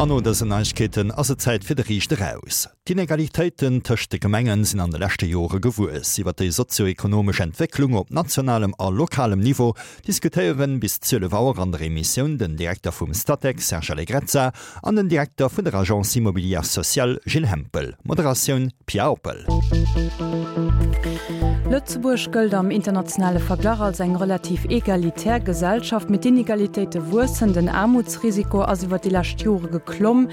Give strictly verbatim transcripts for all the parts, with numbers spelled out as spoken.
An no dësen Neiegkeeten ass et Zäit fir de Riicht Eraus. D'Inegalitéiten tëscht de Gemengen sinn an de leschte Jore gewuess. Iwwer déi sozio-ekonomesch Entwécklung op nationalem a lokalem Niveau diskutéieren bis zwielef Auer an der Emissioun den Direkter vum Statec Serge Allegrezza an den Direkter vun der Agence Immobilière Sociale Gilles Hempel. Moderatioun Pia Oppel. Lëtzebuerg gëllt am internationale Verglach als eng relativ egalitär Gesellschaft. Mee d'Inegalitéite wuessen, den Aarmutsrisiko ass iwwer déi lescht Jore geklomm,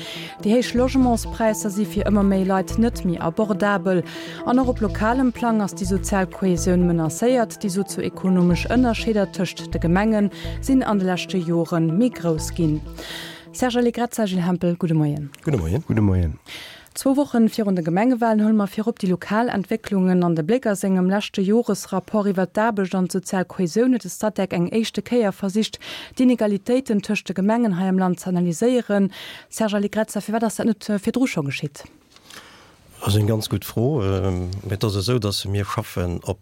déi héich Logementspräisser si fir ëmmer méi Leit net méi abordabel an och op lokalem Plang ass déi sozial Kohäsioun menacéiert. Déi sozioekonomesch Ënnerscheeder tëscht de Gemenge sinn an de leschte Jore méi grouss ginn. Serge Allegrezza, Gilles Hempel, gudde Moien. Gudde Moien. Gudde Moien. Zwou Wochen virun de Gemengewalen huele mer virop déi lokal Entwécklungen an de Bléck. A sengem leschte Joresrapport iwwer d'Aarbecht an d'sozial Kohäsioun huet de Statec eng éischte Kéier versicht, d'Inegalitéiten tëscht de Gemengen hei am Land ze analyséieren. Serge Allegrezza, firwat ass dat net virdru scho geschitt? Dat ass eng ganz gutt Fro. Mee et ass esou, datt mir schaffen op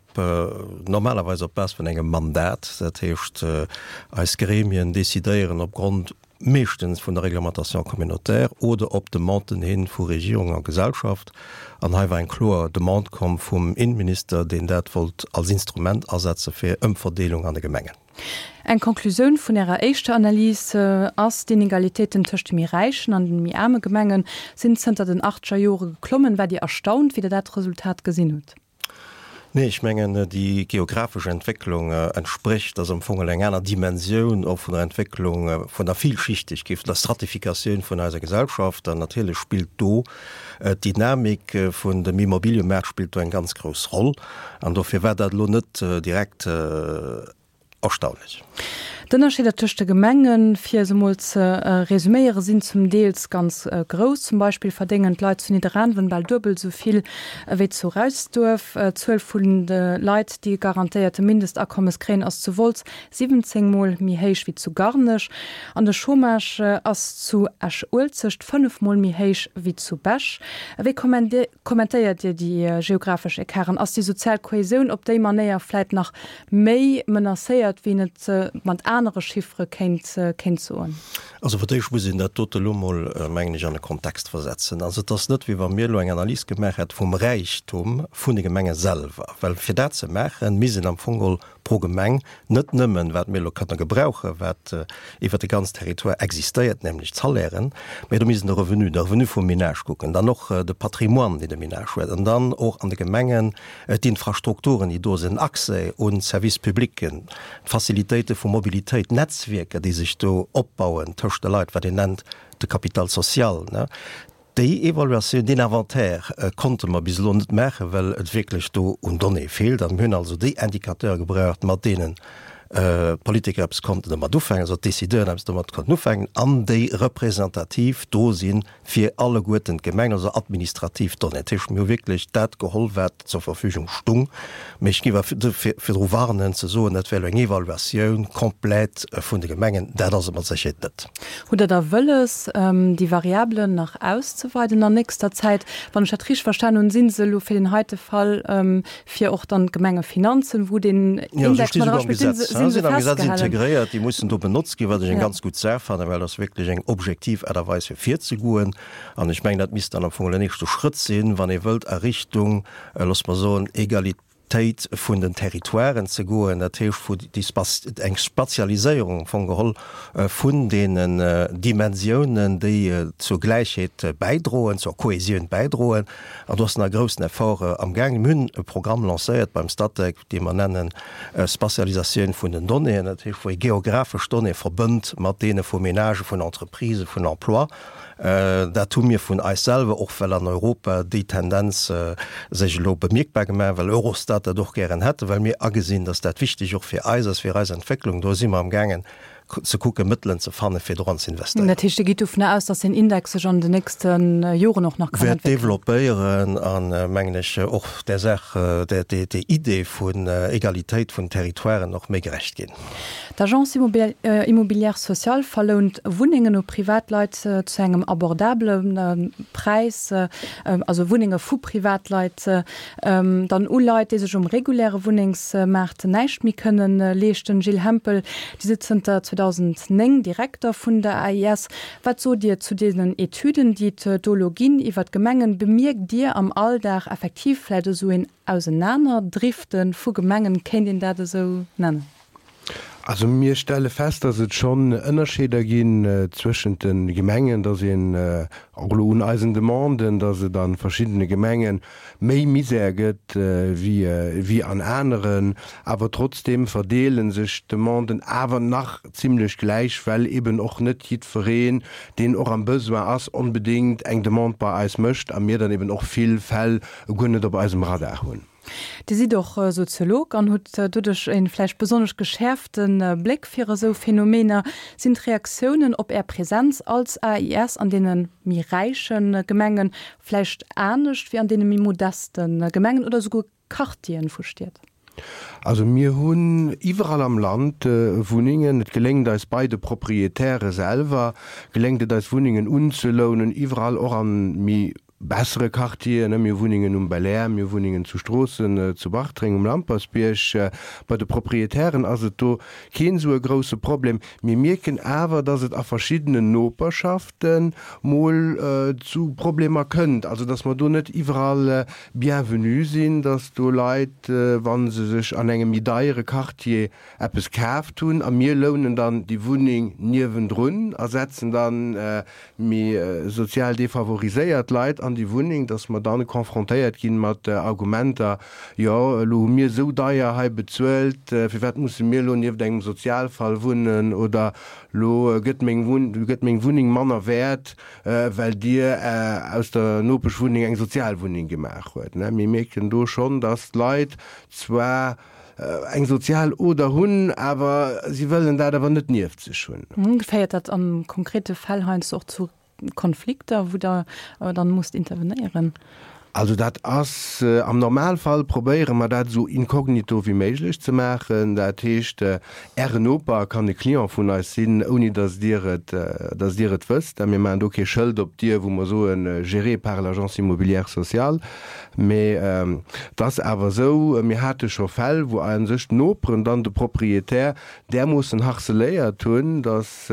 normalerweis op Base vun engem Mandat. Dat heescht, eis Gremien decidéieren opgrond meeschtens vun der Réglementation communautaire oder op Demanden hin vu Regierung a Gesellschaft. An hei war eng kloer Demande komm vum Innenminister, deen dat wollt als Instrument asetze fir Ëmverdeelung an de Gemengen. Eng Konklusioun vun Ärer éischter Analys ass, D'Inegalitéiten tëscht de méi räichen an de méi aarme Gemenge sinn zënter den achtzeger Jore geklommen. Waart Dir erstaunt, wéi Der dat Resultat gesinn hutt? Nee, ech mengen, déi geographesch Entwécklung entsprécht, ass am Fong eng aner Dimensioun och vun der Entwécklung, vun der Vielschichtegkeet, vun der Stratifikatioun vun eiser Gesellschaft. An natierlech spillt do d'Dynamik vun dem Immobiliëmaart spillt do eng ganz grouss Roll. An dofir war dat elo net direkt Erstaunlech. D'Ënnerscheeder tëscht de Gemengen, fir se emol ze resuméieren, sinn zum Deels ganz grouss. Zum Beispill verdéngen d'Leit zu Nidderaanwen bal duebel esou vill ewéi zu Reisduerf. D'Zuel vun de Leit, déi e garantéierte Mindestakommes kréien, ass zu Wolz siwwenzéng Mol méi héich wéi zu Garnech. An de Chômage ass zu Esch-Uelzecht fënnef Mol méi héich wéi zu Bech. Wéi kommentéiert Dir déi geographesch Ecarten? Ass déi sozial Kohäsioun op déi Manéier vläit nach méi menacéiert, wéi een et mat anere Chiffere kéint, kéint soen? Also fir d'éischt muss een dat dote elo mol, mengen ech, an e Kontext versetzen. Also et ass net, wéi wa mir elo eng Analys gemaach hätte vum Räichtum vun de Gemenge selwer. Well fir dat ze maachen, misst een am Fong geholl pro Gemeng net nëmmen, wat mir elo kënne gebrauchen, wat iwwert de ganzen Territoire existéiert, nämlech d'Salairen, mä do misst een de Revenu, de Revenu vum Ménage kucken, dann och de Patrimoine, deen de Ménage huet, an dann och an de Gemengen d'Infrastrukturen, déi do sinn, Accès un d'Services publics, d'Facilitéite vu Mobilitéit, d'Netzwierker, déi sech do opbauen tëscht de Leit, wat een nennt de Capital social. Déi Evaluatioun, deen Inventaire konnte mer bis elo net maachen, well et wierklech do un Donnéeë feelt. A mir hunn also déi Indicateure gebraucht, mat deenen d'Politiker eppes konnten domat ufänken, also d'Decideuren eppes domat konnten ufänken an déi representativ do si fir alleguerten d'Gemengen, also administrativ Donnéeën. Dat heescht, mir hu wierklech dat geholl, wat zur Verfügung stung. Mee ech géif awer virdru warnen ze soen, dat wär elo eng Evaluatioun komplett vun de Gemengen. Dat ass et mat Sécherheet net. Hutt Der da wëlles, déi Variabelen nach auszeweiden an nächster Zäit? Wann ech dat richteg verstan hunn, si se elo fir deen heite Fall, fir och dann d'Gemengefinanzen, wou deen Index mat eraspillt, si se festgehalen? Si sinn am Gesetz integréiert, déi mussen do benotzt ginn, wat ech eng ganz gutt Saach fannen, well dat ass wierklech eng objektiv Aart a Weis fir virzegoen. An ech mengen, dat misst dann am Fong den nächste Schrëtt sinn, wann ee wëllt a Richtung, loosse mer soen, Egalitéit vun den Territoiren ze goen, dat heescht vu déi eng Spatialiséierung am Fong geholl vun deenen Dimensiounen, déi zur Gläichheet bäidroen, zur Kohesioun bäidroen. An do ass nach e groussen Effort amgaangen. Mir hunn e Programm lancéiert beim Statec, dee mer nennen Spatialisatioun vun den Donnéeën, dat heescht wou ee geographesch Donnéeë verbënnt mat deene vu Ménagen, vun Entreprisen, vun Emploi. Dat hu mir vun eis selwer, och well an Europa déi Tendenz sech elo bemierkbar gemaach, well Eurostat dat och gären hätt, well mir agesinn, datt dat wichteg och fir eis ass, fir eis Entwécklung. Do si mer amgaangen ze kucken, Mëttelen ze fannen, fir doran ze investéieren. Dat heescht, Dir gitt dovunner aus, datt deen Index sech an den nächste Joren och nach kann entwéckelen? Wäert developpéieren an, mengen ech, och där Saach, där Idee vun Egalitéit vun Territoiren och méi gerecht ginn. D'Agence Immobilière Sociale verlount Wunnengen u Privatleit zu engem abordabele Präis, also Wunnenge vu Privatleit dann u Leit, déi sech um reguläre Wunnengsmaart näischt méi kënne leeschten. Gilles Hempel, Dir sidd zënter zweedausendnéng Direkter vun der A I S. Wat sot Dir zu deenen Etüden, déi et do elo ginn iwwer d'Gemengen? Bemierkt Dir am Alldag effektiv vläicht esou een Ausenanerdrifte vu Gemengen, kéint een dat esou nennen? Also mir stelle fest, dass et schonn Ënnerscheeder ginn zwëschent de Gemengen, dass een och elo un eisen Demanden, dass et a verschiddene Gemenge méi Misär gëtt wéi wéi an aneren. Awer trotzdeem verdeele sech d'Demanden awer nach zimlech gläich, well eben och net jiddwereen, deen och am Besoin ass, onbedéngt eng Demande bei eis mécht a mir dann eben och vill Fäll guer net op eisem Radar hunn. Dir sidd och Soziolog an hutt doduerch e vläicht besonnesch geschäerfte Bléck fir esou Phänomener. Sinn d'Reaktiounen op Är Presenz als A I S an deene méi räiche Gemenge vläicht anescht wéi an deene méi modeste Gemengen oder esouguer Quartieren vu Stied? Also mir hunn iwwerall am Land Wunnengen. Et geléngt eis bei de Proprietäre selwer, geléngt et eis Wunnengen unzelounen, iwwerall och an méi bessere Quartieren. Mir hu Wunnengen um Belair, mir hu Wunnengen zu Stroossen, zu Bartreng, um Lampersbierg. Bei de Proprietären ass et do keen esou e grousse Problem. Mir mierken awer, dass et a verschiddenen Noperschafte mol zu Problemer kënnt, also dass mer do net iwwerall bienvenue sinn, dass do Leit, wa se sech an engem méi deiere Quartier eppes kaaft hunn a mir lounen dann déi Wunneng niewendrun a setzen dann méi sozial defavoriséiert Leit an déi Wunneng, dass mer dann confrontéiert ginn mat Argumenter, jo elo hu mir esou deier hei bezuelt, firwat musse mir elo nieft engem Sozialfall wunnen, oder elo gëtt meng gëtt meng Wunneng manner wäert, well Dir aus der Nopeschwunneng eng Sozialwunneng gemaach huet. Mir mierken do schonn, dass d'Leit zwar eng sozial Oder hunn, awer si wëllen dat awer net nieft sech hunn. Féiert dat a konkrete Fäll heiansdo och zu Konflikter, wou Der dann musst intervenéieren? Also dat ass, am Normalfall probéiere mer dat esou inkognito wéi méiglech ze maachen. Dat heescht, Ären Noper kann e Client vun eis sinn, ouni datt Dir et, datt Dir et wësst. Mir maachen do kee Schëld op d'Dier, wou mer soen, géré par l'Agence immobilière sociale. Mee et ass awer esou, mir hate scho Fäll, wou a sech d'Noperen dann de Proprietär därmoossen harceléiert hunn, datt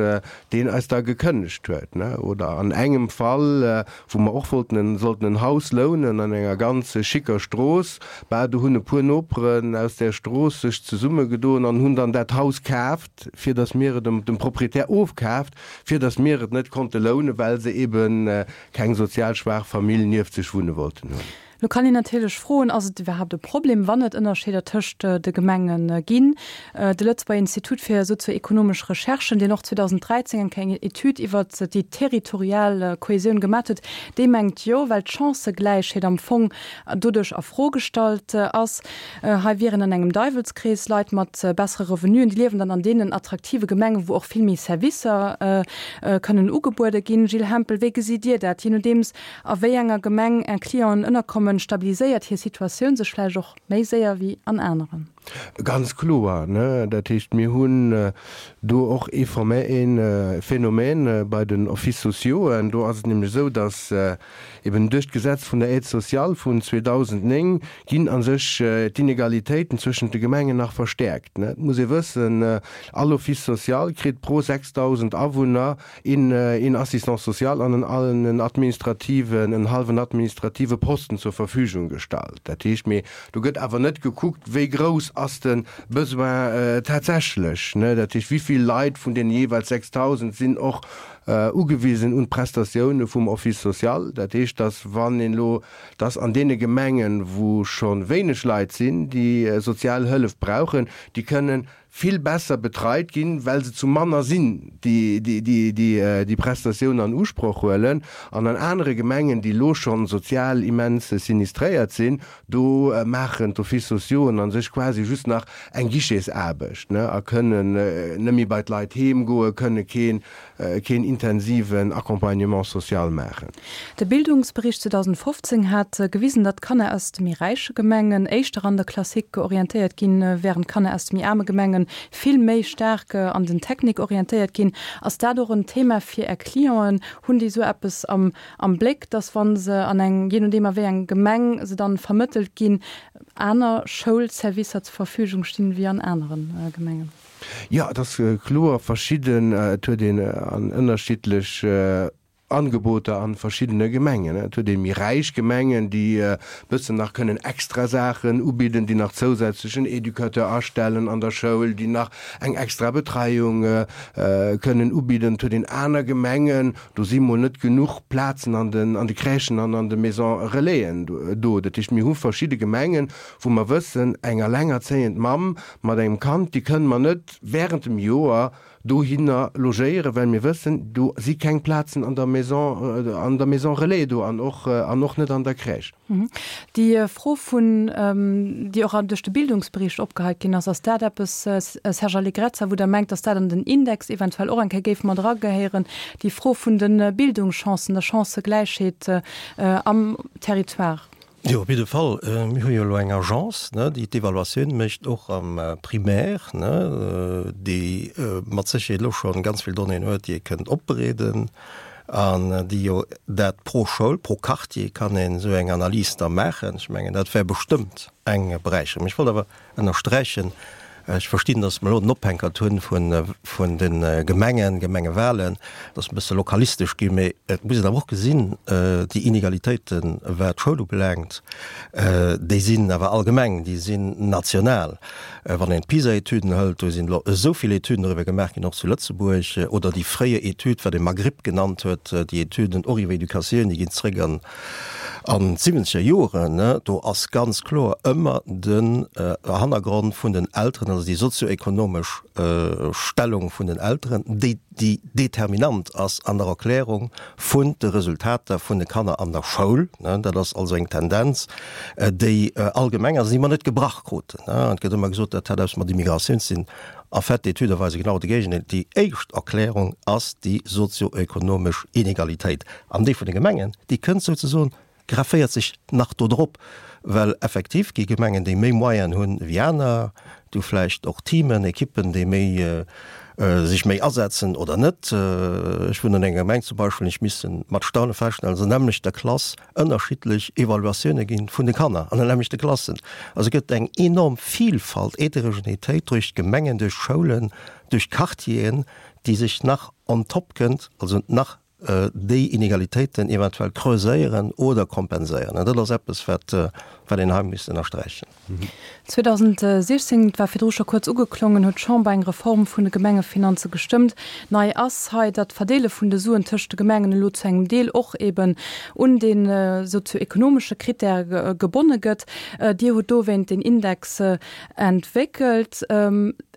deen eis da gekënnegt huet. Oder an engem Fall, wou mer och wollten en, sollten en Haus lounen an enger ganz schicker Strooss, bah, do hunn e puer Noperen aus där Strooss sech zesummegedoen an hunn dann dat Haus kaaft, fir datt mir et dem Proprietär ofkaaft, fir datt mir et net konnte lounen, well se ebe keng sozial schwaach Famill nieft sech wunne wollten hunn. Lo kann een natierlech froen, Ass et iwwerhaapt e Problem, wann et Ënnerscheeder tëscht de Gemenge ginn? De Lëtzebuerger Institut fir sozioekonomesch Recherchen, deen och zweedausenddräizéng eng kleng Etüd iwwert déi territorial Kohäsioun gemat huet, dee mengt jo, well d'Chancëgläichheet am Fong doduerch a Fro gestallt ass. Hei wieren an engem Deiwelskrees, Leit mat bessere Revenuen, déi liewen dann an deenen attraktive Gemengen, wou och vill méi Servicer kënnen ugebuede ginn. Gilles Hempel, wéi gesitt Dir dat? Jee nodeems a wéi enger Gemeng Är Clienten ënnerkommen, stabiliséiert hir Situatioun sech vläicht och méi séier wéi an aneren. Ganz kloer, ne? Dat heescht, mir hunn do och ee ee Phänomen bei den Offices sociauxen. Do ass et nämlech esou, datt eben duerch d'Gesetz vun der Aide sociale vun zweedausendnéng ginn a sech d'Inegalitéiten zwëschent de Gemengen nach verstäerkt, ne? Et muss ee wëssen, all Office social kritt pro sechsdausend Awunner een een Assistant social an en en administrativen, en hallwen administrative Posten zur Verfügung gestallt. Dat heescht, mee do gëtt awer net gekuckt, wéi grouss ass de Besoin tatsächlech, ne? Dat heescht, wéi vill Leit vun deene jeeweils sechsdausend sinn och ugewisen un d'Prestatioune vum Office social. Dat heescht, dass wann een elo, dass an deene Gemengen, wou scho wéineg Leit sinn, déi sozial Hëllef brauchen, déi kënnen vill besser betreit ginn, well se zu manner sinn, déi déi Prestatioun an Usproch huelen. An an anere Gemengen, déi elo schonn sozial immens sinistréiert sinn, do maachen d'Offices sociauxen a sech quasi just nach eng Guichetsaarbecht a kënnen net méi bei d'Leit heem goen, kënne keen keen intensiven Accompagnement social maachen. De Bildungsbericht zweedausendfofzéng hat gewisen, datt Kanner aus de méi räiche Gemengen éischter an de Classique orientéiert ginn, wärend Kanner aus de méi aarme Gemenge vill méi staark an den Technique orientéiert ginn. Ass dat och en Thema fir Är Clienten? Hunn déi esou eppes am am Bléck, datt wa se an eng, jee nodeem a wéi eng Gemeng se dann vermëttelt ginn, aner Schoulservicer zur Verfügung stinn wéi an anere Gemengen? Jo, et ass kloer verschidden. Et huet een an ënnerschiddlech Angeboter a verschiddene Gemengen. Et huet ee méi räich Gemengen, déi e bëssen nach kënnen extra Saachen ubidden, déi nach zousätzlech en Educateur astellen an der Schoul, déi nach eng extra Betreiung kënnen ubidden. Et huet een aner Gemengen, do si mol net genuch Plazen an den an de Crèchen an an de Maisons Relaisen do. Dat heescht, mir hu verschidde Gemengen, wou mer wëssen, eng allengerzéiend Mamm mat engem Kand, déi kënne mer net während dem Joer dohinner logéieren, well mir wëssen, do si keng Plazen an der Maison, an der Maison Relais do an och, an och net an der Crèche. Déi Fro vun, déi och duerch de Bildungsbericht opgeheit ginn ass, ass dat eppes, Serge Allegrezza, wou Der mengt, dass dat an den Index eventuell och eng Kéier géif mat eragehéieren, déi Fro vun de Bildungschancen, der Chancëgläichheet am Territoire? Jo, op jidde Fall. Mir hu jo elo eng Agence, déi d'Evaluatioun mécht, och am Primaire, déi mat Sécherheet elo scho ganz vill Donnéeën huet, déi ee kënnt opbereeden an déi jo dat pro Schoul, pro Quartier kann een esou eng Analys da maachen. Ech mengen, dat wär bestëmmt eng Beräicherung. Ech wollt awer ënnersträichen, Ech verstinn, datt mer elo den Ophänkert hunn vun de Gemengen, Gemengewahlen, dat ass e bësse lokalistesch ginn, mee et muss een awer och gesinn, déi Inegalitéiten, wat d'Schoul ubelaangt, déi sinn awer allgemeng, déi sinn national. Wann een d'PISA-Etüden hëlt, do sinn elo esou vill Etüden doriwwer gemaach ginn, och zu Lëtzebuerg, oder déi fréier Etüd, wat ee Magrip genannt huet, déi Etüden och iwwer Educatioun, déi ginn zréck an An d'siwwenzeger Joren, do ass ganz kloer ëmmer den Hannergrond vun den Elteren, also déi sozioekonomesch Stellung vun den Elteren, déi déi determinant ass an der Erklärung vun de Resultater vun de Kanner an der Schoul. Dat ass also eng Tendenz, déi allgemeng ass an déi mer net gebrach kruten. Et gëtt ëmmer gesot, dat hätt eppes mat Immigratioun ze dinn. En fait, d'Etüde weise genau de Géigendeel. Déi éischt Erklärung ass déi sozioekonomesch Inegalitéit. An déi vun de Gemengen, déi kënnt souzesoen, grefféiert sech nach do drop, well effektiv gi Gemengen, déi méi Moyenen hunn ewéi aner, déi hu vläicht och Teamen, Ekippen, déi méi sech méi asetzen oder net. Ech wunnen an enger Gemeng zum Beispill, ech misste mat Staune feststellen, dass an der nämmlechter Klass ënnerschiddlech Evaluatioune gi vun de Kanner an den nämmlechte Klassen. Also et gëtt eng enorm Vielfalt, Heterogenetéit duerch d'Gemengen, duerch d'Schoulen, duerch d'Quartieren, déi sech nach on top kënnt, also nach déi Inegalitéiten eventuell creuséieren oder kompenséieren. An dat ass eppes, wat wat een hei misst ënnersträichen. zweedausendsechzéng, et war virdru scho kuerz ugeklongen, huet d'Chamber eng Reform vun de Gemengefinanze gestëmmt. Nei ass hei, datt d'Verdeele vun de Suen tëscht de Gemengen elo zu engem Deel och eben un de sozioekonomesche Krittäre gebonne gëtt. Dir hutt dowéint deen Index entwéckelt.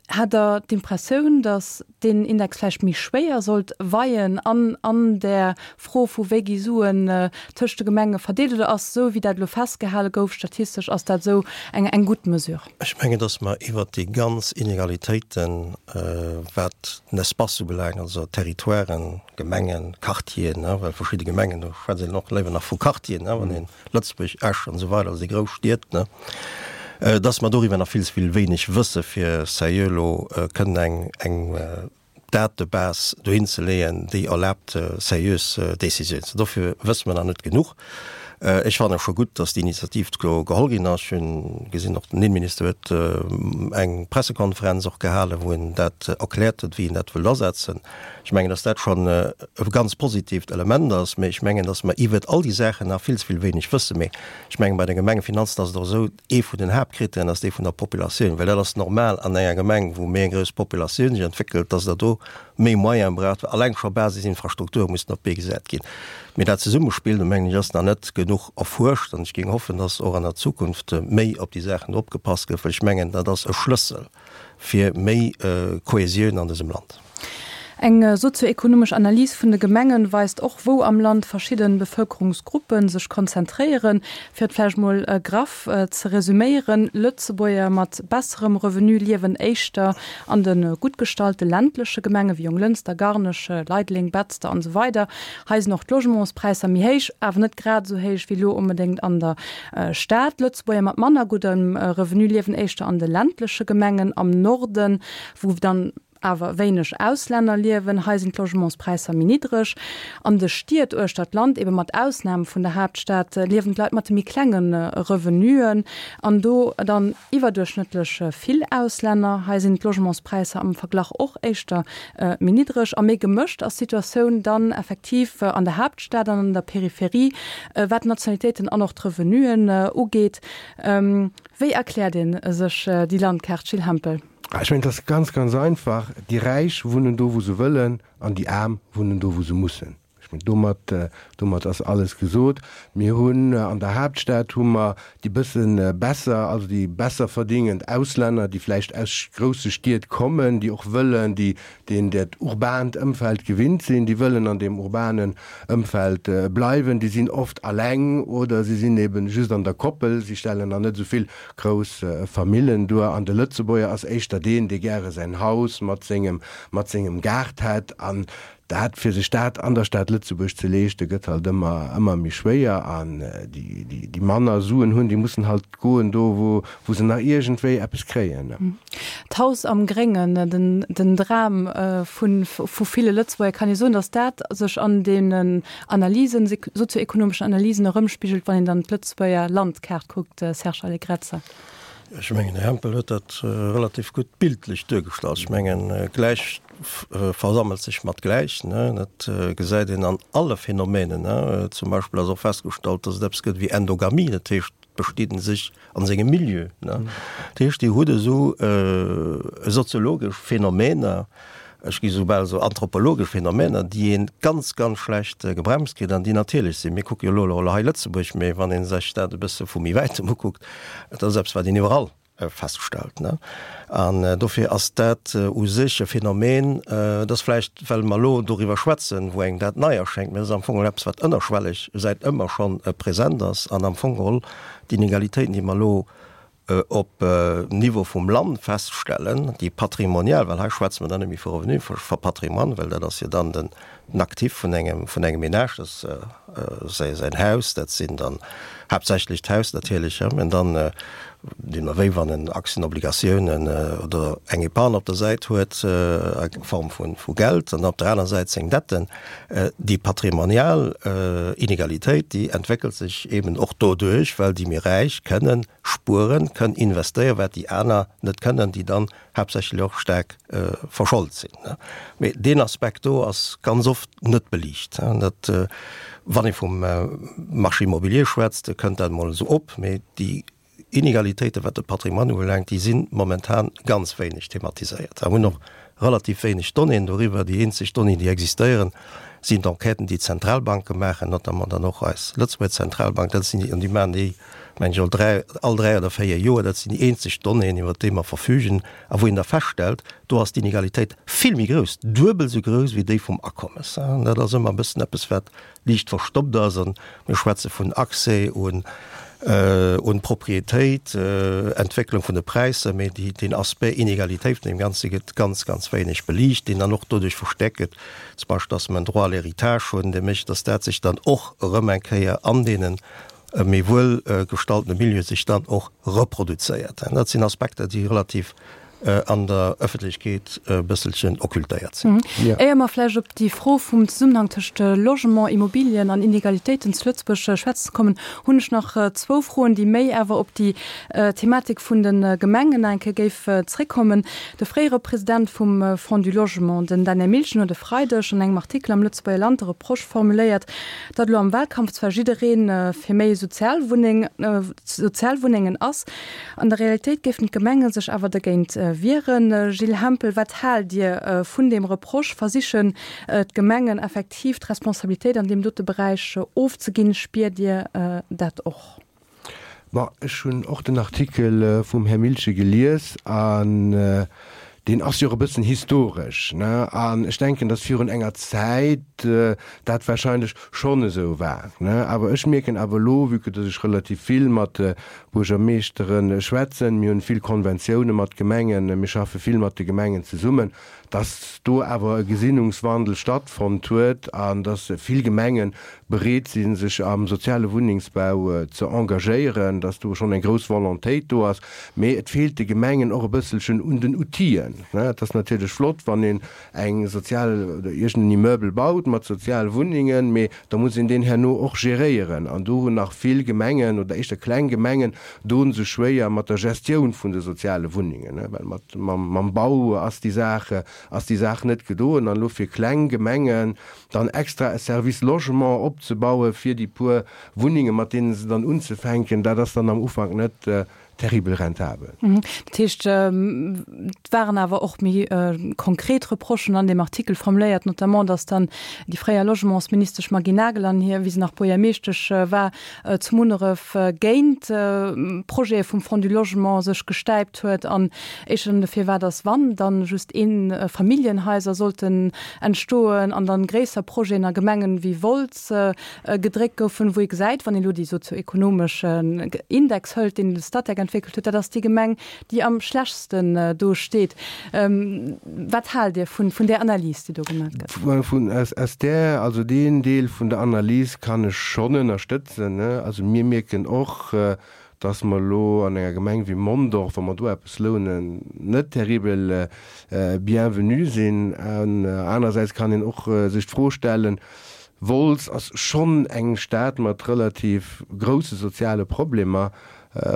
Hat Der d'Impressioun, datt deen Index vläicht méi schwéier sollt weien an an där Fro vu wéi gi Suen tëscht de Gemenge verdeelt, oder ass esou wéi dat elo festgehale gouf statistesch, ass dat esou eng eng gutt Mesure? Ech mengen, datt mer iwwert déi ganz Inegalitéiten, wat den Espace ubelaangt, also Territoiren, Gemengen, Quartieren, well verschidde Gemengen, do schwätzt een och léiwer nach vu Quartieren, wann een Lëtzebuerg, Esch an esou weider, also déi grouss Stied, dass mer doriwwer nach vill ze vill wéineg wësse fir seriö elo kënnen eng eng Datebase dohin ze leeën, déi erlaabt seriös Décisionen ze. Dofir wësse mer nach net genuch. Ech fannen scho gutt, dass déi Initiativ do geholl ginn ass. Ech hunn gesinn, och den Innenminister huet eng Pressekonferenz och gehalen, wou en dat erkläert huet, wéi en dat wëllt asetzen. Ech mengen, dass dat schonn e ganz positiivt Element ass, mä ech mengen, dass mer iwwert all déi Saachen nach vill ze vill wéineg wëssen. Mä ech mengen, bei de Gemengefinanzen ass et och esou, ee vun den Haaptkritären ass dee vun der Populatioun, well dat ass normal an enger Gemeng, wou méi eng grouss Populatioun sech entwéckelt, dass Der do méi Moyene braucht, well alleng scho Basisinfrastrukture mussen op d'Bee gesat ginn. Mee dat Zesummespill, do mengen ech, ass nach net genuch erfuerscht an ech géing hoffen, dass och an der Zukunft méi op déi Saachen opgepasst gëtt, well ech mengen, dat ass e Schlëssel fir méi Kohäsioun an dësem Land. Eng sozioekonomesch Analys vun de Gemengen weist och, wou am Land verschidde Bevëlkerungsgruppe sech konzentréieren. Fir et vläicht mol graff ze resüméieren, Lëtzebuerger mat besserem Revenu liewen éischter an de gutt gestallte ländleche Gemenge wéi Jonglënster, Garnech, Leideleng, Betzder an esou weider. Hei sinn och d'Logementspräisser méi héich, awer net grad esou héich wéi elo onbedéngt an der Stad. Lëtzebuerger mat manner guddem Revenu liewen éischter an de ländleche Gemengen am Norden, wou dann awer wéineg Auslänner liewen. Hei sinn d'Logementspräisser méi niddreg. An de Stied uechter d'Land, ebe mat Ausnam vun der Haaptstad, liewen d'Leit mat de méi klenge Revenuen an do dann iwwerduerchschnëttlech vill Auslänner. Hei sinn d'Logementspräisser am Verglach och éischter méi niddreg. A méi gemëscht ass d'Situatioun dann effektiv an der Haaptstad an an der Peripherie, wat d'Nationalitéiten an och d'Revenuen ugeet. Wéi erkläert ee sech déi Landkaart, Gilles Hempel? Ech mengen, et ass ganz, ganz einfach, Déi Räich wunnen do, wou se wëllen, an déi Aarm wunnen do, wou se mussen. Ech mengen, domat, domat ass alles gesot. Mir hunn an der Haaptstad hu mer déi bësse besser, also déi besser verdingend Auslänner, déi vläicht aus grousse Stied kommen, déi och wëllen, déi deen dat urbaant Ëmfeld gewinnt sinn, déi wëllen an deem urbanen Ëmfeld bleiwen. Déi sinn oft alleng oder si sinn eben just an der Koppel, si stellen nach net esou vill grouss Famillen duer. An de Lëtzebuerger ass éischter deen, dee gäre säin Haus mat sengem, mat sengem Gaart hätt. An dat, fir sech dat an der Stad Lëtzebuerg ze leeschten, gëtt halt ëmmer, ëmmer méi schwéier. An déi, déi, déi manner Suen hunn, déi mussen halt goen do, wou, wou se nach iergendwéi eppes kréien. D'Haus am Gréngen, den, den Dram vu, vu ville Lëtzebuerger, kann ee soen, datt dat sech an deenen Analysen, sozioekonomeschen Analysen erëmspigelt, wann een dann d'Lëtzebuerger Landkaart kuckt, Serge Allegrezza? Ech mengen, den Här Hempel huet dat relativ gutt bildlech duergestallt. Ech mengen, gläich versammelt sech mat gläich. Dat gesäit een an alle Phänomenen. Zum Beispill ass och festgestallt, dass et eppes gëtt wéi Endogamie, dat heescht, d'bestidden sech a sengem Milieu. Dat heescht, Dir hutt esou soziologesch Phänomener, ech gi soubal esou anthropologesch Phänomener, déi ee ganz, ganz schlecht gebremst kritt an déi natierlech sinn. Mir kucke jo elo hei Lëtzebuerg, mee wann ee sech dat e bësse vu méi wäitem ukuckt, dat ass eppes, wat een iwwerall feststellt. An dofir ass dat u sech e Phänomen, dat ass vläicht, well mer elo doriwwer schwätzen, wou engem dat nei erschéngt, mee dat ass am Fong geholl eppes, wat ënnerschwelleg säit ëmmer scho present ass an am Fong geholl d'Inegalitéiten, déi mer elo op Niveau vum Land feststellen, déi patrimonial, well hei schwätze mer dann net méi vu Revenu, vu Patrimoine, well dat ass jo dann den Actif vun engem, vun engem Ménage, dat ass säin Haus, dat sinn dann haaptsächlech d'Haus natierlech, an dann deemno wéi wann en Aktien, Obligatiounen oder eng Épargne op der Säit huet a Form vu Geld, an op der aner Säit seng Detten. Déi patrimonial Inegalitéit, déi entwéckelt sech eben och doduerch, well déi méi Räich kënnen spueren, kënnen investéieren, wat déi aner net kënnen, déi dann haaptsächlech och staark verscholt sinn. Mee deen Aspekt do ass ganz oft net beliicht. Dat, wann ee vum Marché immobilier schwätzt, kënnt dat emol esou op, mee déi Inegalitéiten, wat de Patrimoine ubelaangt, déi si momentan ganz wéineg thematiséiert. A hunn och relativ wéineg Donnéeën doriwwer. Déi eenzeg Donnéeën, déi existéieren, sinn d'Enquêten, déi d'Zentralbanke maachen, notamment dann och eis Lëtzebuerger Zentralbank. Dat sinn déi, an déi maachen déi, mengen ech, all dräi, all dräi oder véier Joer. Dat sinn déi eenzeg Donnéeën, iwwert déi mer verfügen a wou een da feststellt, do ass d'Inegalitéit vill méi grouss, duebel esou grouss wéi déi vum Akommes. An dat ass ëmmer e bëssen eppes, wat liicht verstoppt ass. An mir schwätze vun Accès un un d'Propriétéit, Entwécklung vun de Präisser, mee déi, deen Aspect Inegalitéit vun deem Ganze gëtt ganz, ganz wéineg beliicht, deen dann och doduerch verstäerkt gëtt, zum Beispill, dass mer en Droit à l'héritage hunn, dee mécht, dass dat sech dann och erëm eng Kéier an deene méi wuel gestaltene Milieue sech dann och reproduzéiert. Dat sinn Aspekter, déi relativ an der Ëffentlechkeet e bësselchen occultéiert sinn. Éier mer vläicht op déi Fro vum Zesummenhang tëscht Logement, Immobilien an Inegalitéiten zu Lëtzebuerg schwätzen kommen, hunn ech nach zwou Froen, déi méi awer op déi Thematik vun de Gemengen nach eng Kéier géif zréckkommen. De fréiere President vum Fonds du Logement, den Daniel Milchen, huet e Freideg an engem Artikel am Lëtzebuerger Land de Reproche formuléiert, datt elo am Wahlkampf zwar jidderee fir méi Sozialwunneng, Sozialwunnengen ass, an der Realitéit géifen d'Gemenge sech awer dergéint wieren. Gilles Hempel, wat haalt Dir vun deem Reproche? Versichen d'Gemengen effektiv d'Responsabilitéit an deem dote Beräich ofzeginn? Spiert Dir dat och? Bon, ech hunn och den Artikel vum Här Milchen gelies an deen ass jo och e bëssen historesch, ne? An ech denken, datt virun enger Zäit, dat wahrscheinlech schonn esou war, ne. Awer ech mierken awer elo, vue que dass ech relativ vill mat Buergermeeschtere schwätzen, mir hunn vill Konventioune mat Gemengen, mir schaffe vill mat de Gemengen zesummen, dass do awer e Gesinnungswandel stattfonnt huet an dass vill Gemenge bereet sinn, sech am soziale Wunnengsbau ze engagéieren, dass do schonn eng grouss Volontéit do ass. Mee et feelt de Gemengen och e bësselchen un den Outiller. Et ass natierlech flott, wann een eng sozial oder iergend en Immeuble baut mat sozial Wunnengen, mee da muss een deen herno och geréieren. An do hunn nach vill Gemengen oder éischter kleng Gemengen doen sech schwéier mat der Gestioun vun de soziale Wunnengen, well mat mam Bau ass déi Saach ass déi Saach net gedoen. An elo fir kleng Gemengen dann extra e Service Logement opzebaue fir déi puer Wunnenge mat deene se dann unzefänken, dat ass dann am Ufank net terribel rentabel. Dat heescht, et waren awer och méi konkret Reprochen an deem Artikel formuléiert, notamment datt dann déi fréier Logementsministesch Maggy Nagel an hir, wéi se nach Buergermeeschtesch war, zu Munneref géint Projete vum Fonds du Logement sech gestäipt huet an éischter dann dofir war, datt wann, dann just Eefamilljenhaiser sollten entstoen an dann gréisser Projeten a Gemengen wéi Wolz gedréckt goufen, wou ee gesäit, wann ee lo déi sozioekonomeschen Index hëlt, deen de Statec entwéckelt huet, dat ass déi Gemeng, déi am schlechtsten do steet. Wat haalt Dir vun vun där Analys, déi do gemaach gëtt? Vun aus där, also deen Deel vun der Analys kann ech schonn ënnerstëtzen. Also mir mierken och, dass mer elo an enger Gemeng wéi Mondorf, wa mer do eppes lounen, net terribel bienvenu sinn. An anerersäits kann een och sech d'Fro stellen, Wolz ass schonn eng Stad mat relativ grousse soziale Problemer,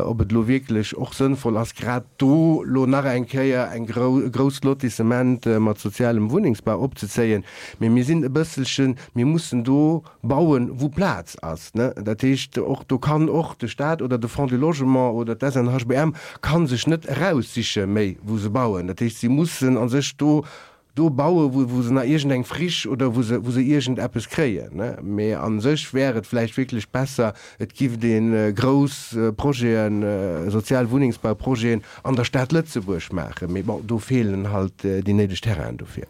ob et elo wierklech och sënnvoll ass, grad do elo nach eng Kéier eng e grousst Lotissement mat sozialem Wunnengsbau opzezéien. Mee mir sinn e bësselchen, mir mussen do bauen, wou Plaz ass. Dat heescht, och do kann och de Stat oder de Fonds du Logement oder d'SNHBM ka sech net eraussiche méi, wou se bauen. Dat heescht, si mussen a sech do do bauen, wou, wou se nach iergendeng Friche oder wou se, wou se iergendeppes kréien. Mee a sech wär et vläicht wierklech besser, et giff ee grouss Projeten, sozial Wunnengsbauprojeten an der Stad Lëtzebuerg maachen. Mee bon, do feelen halt déi néideg Terrainen dofir.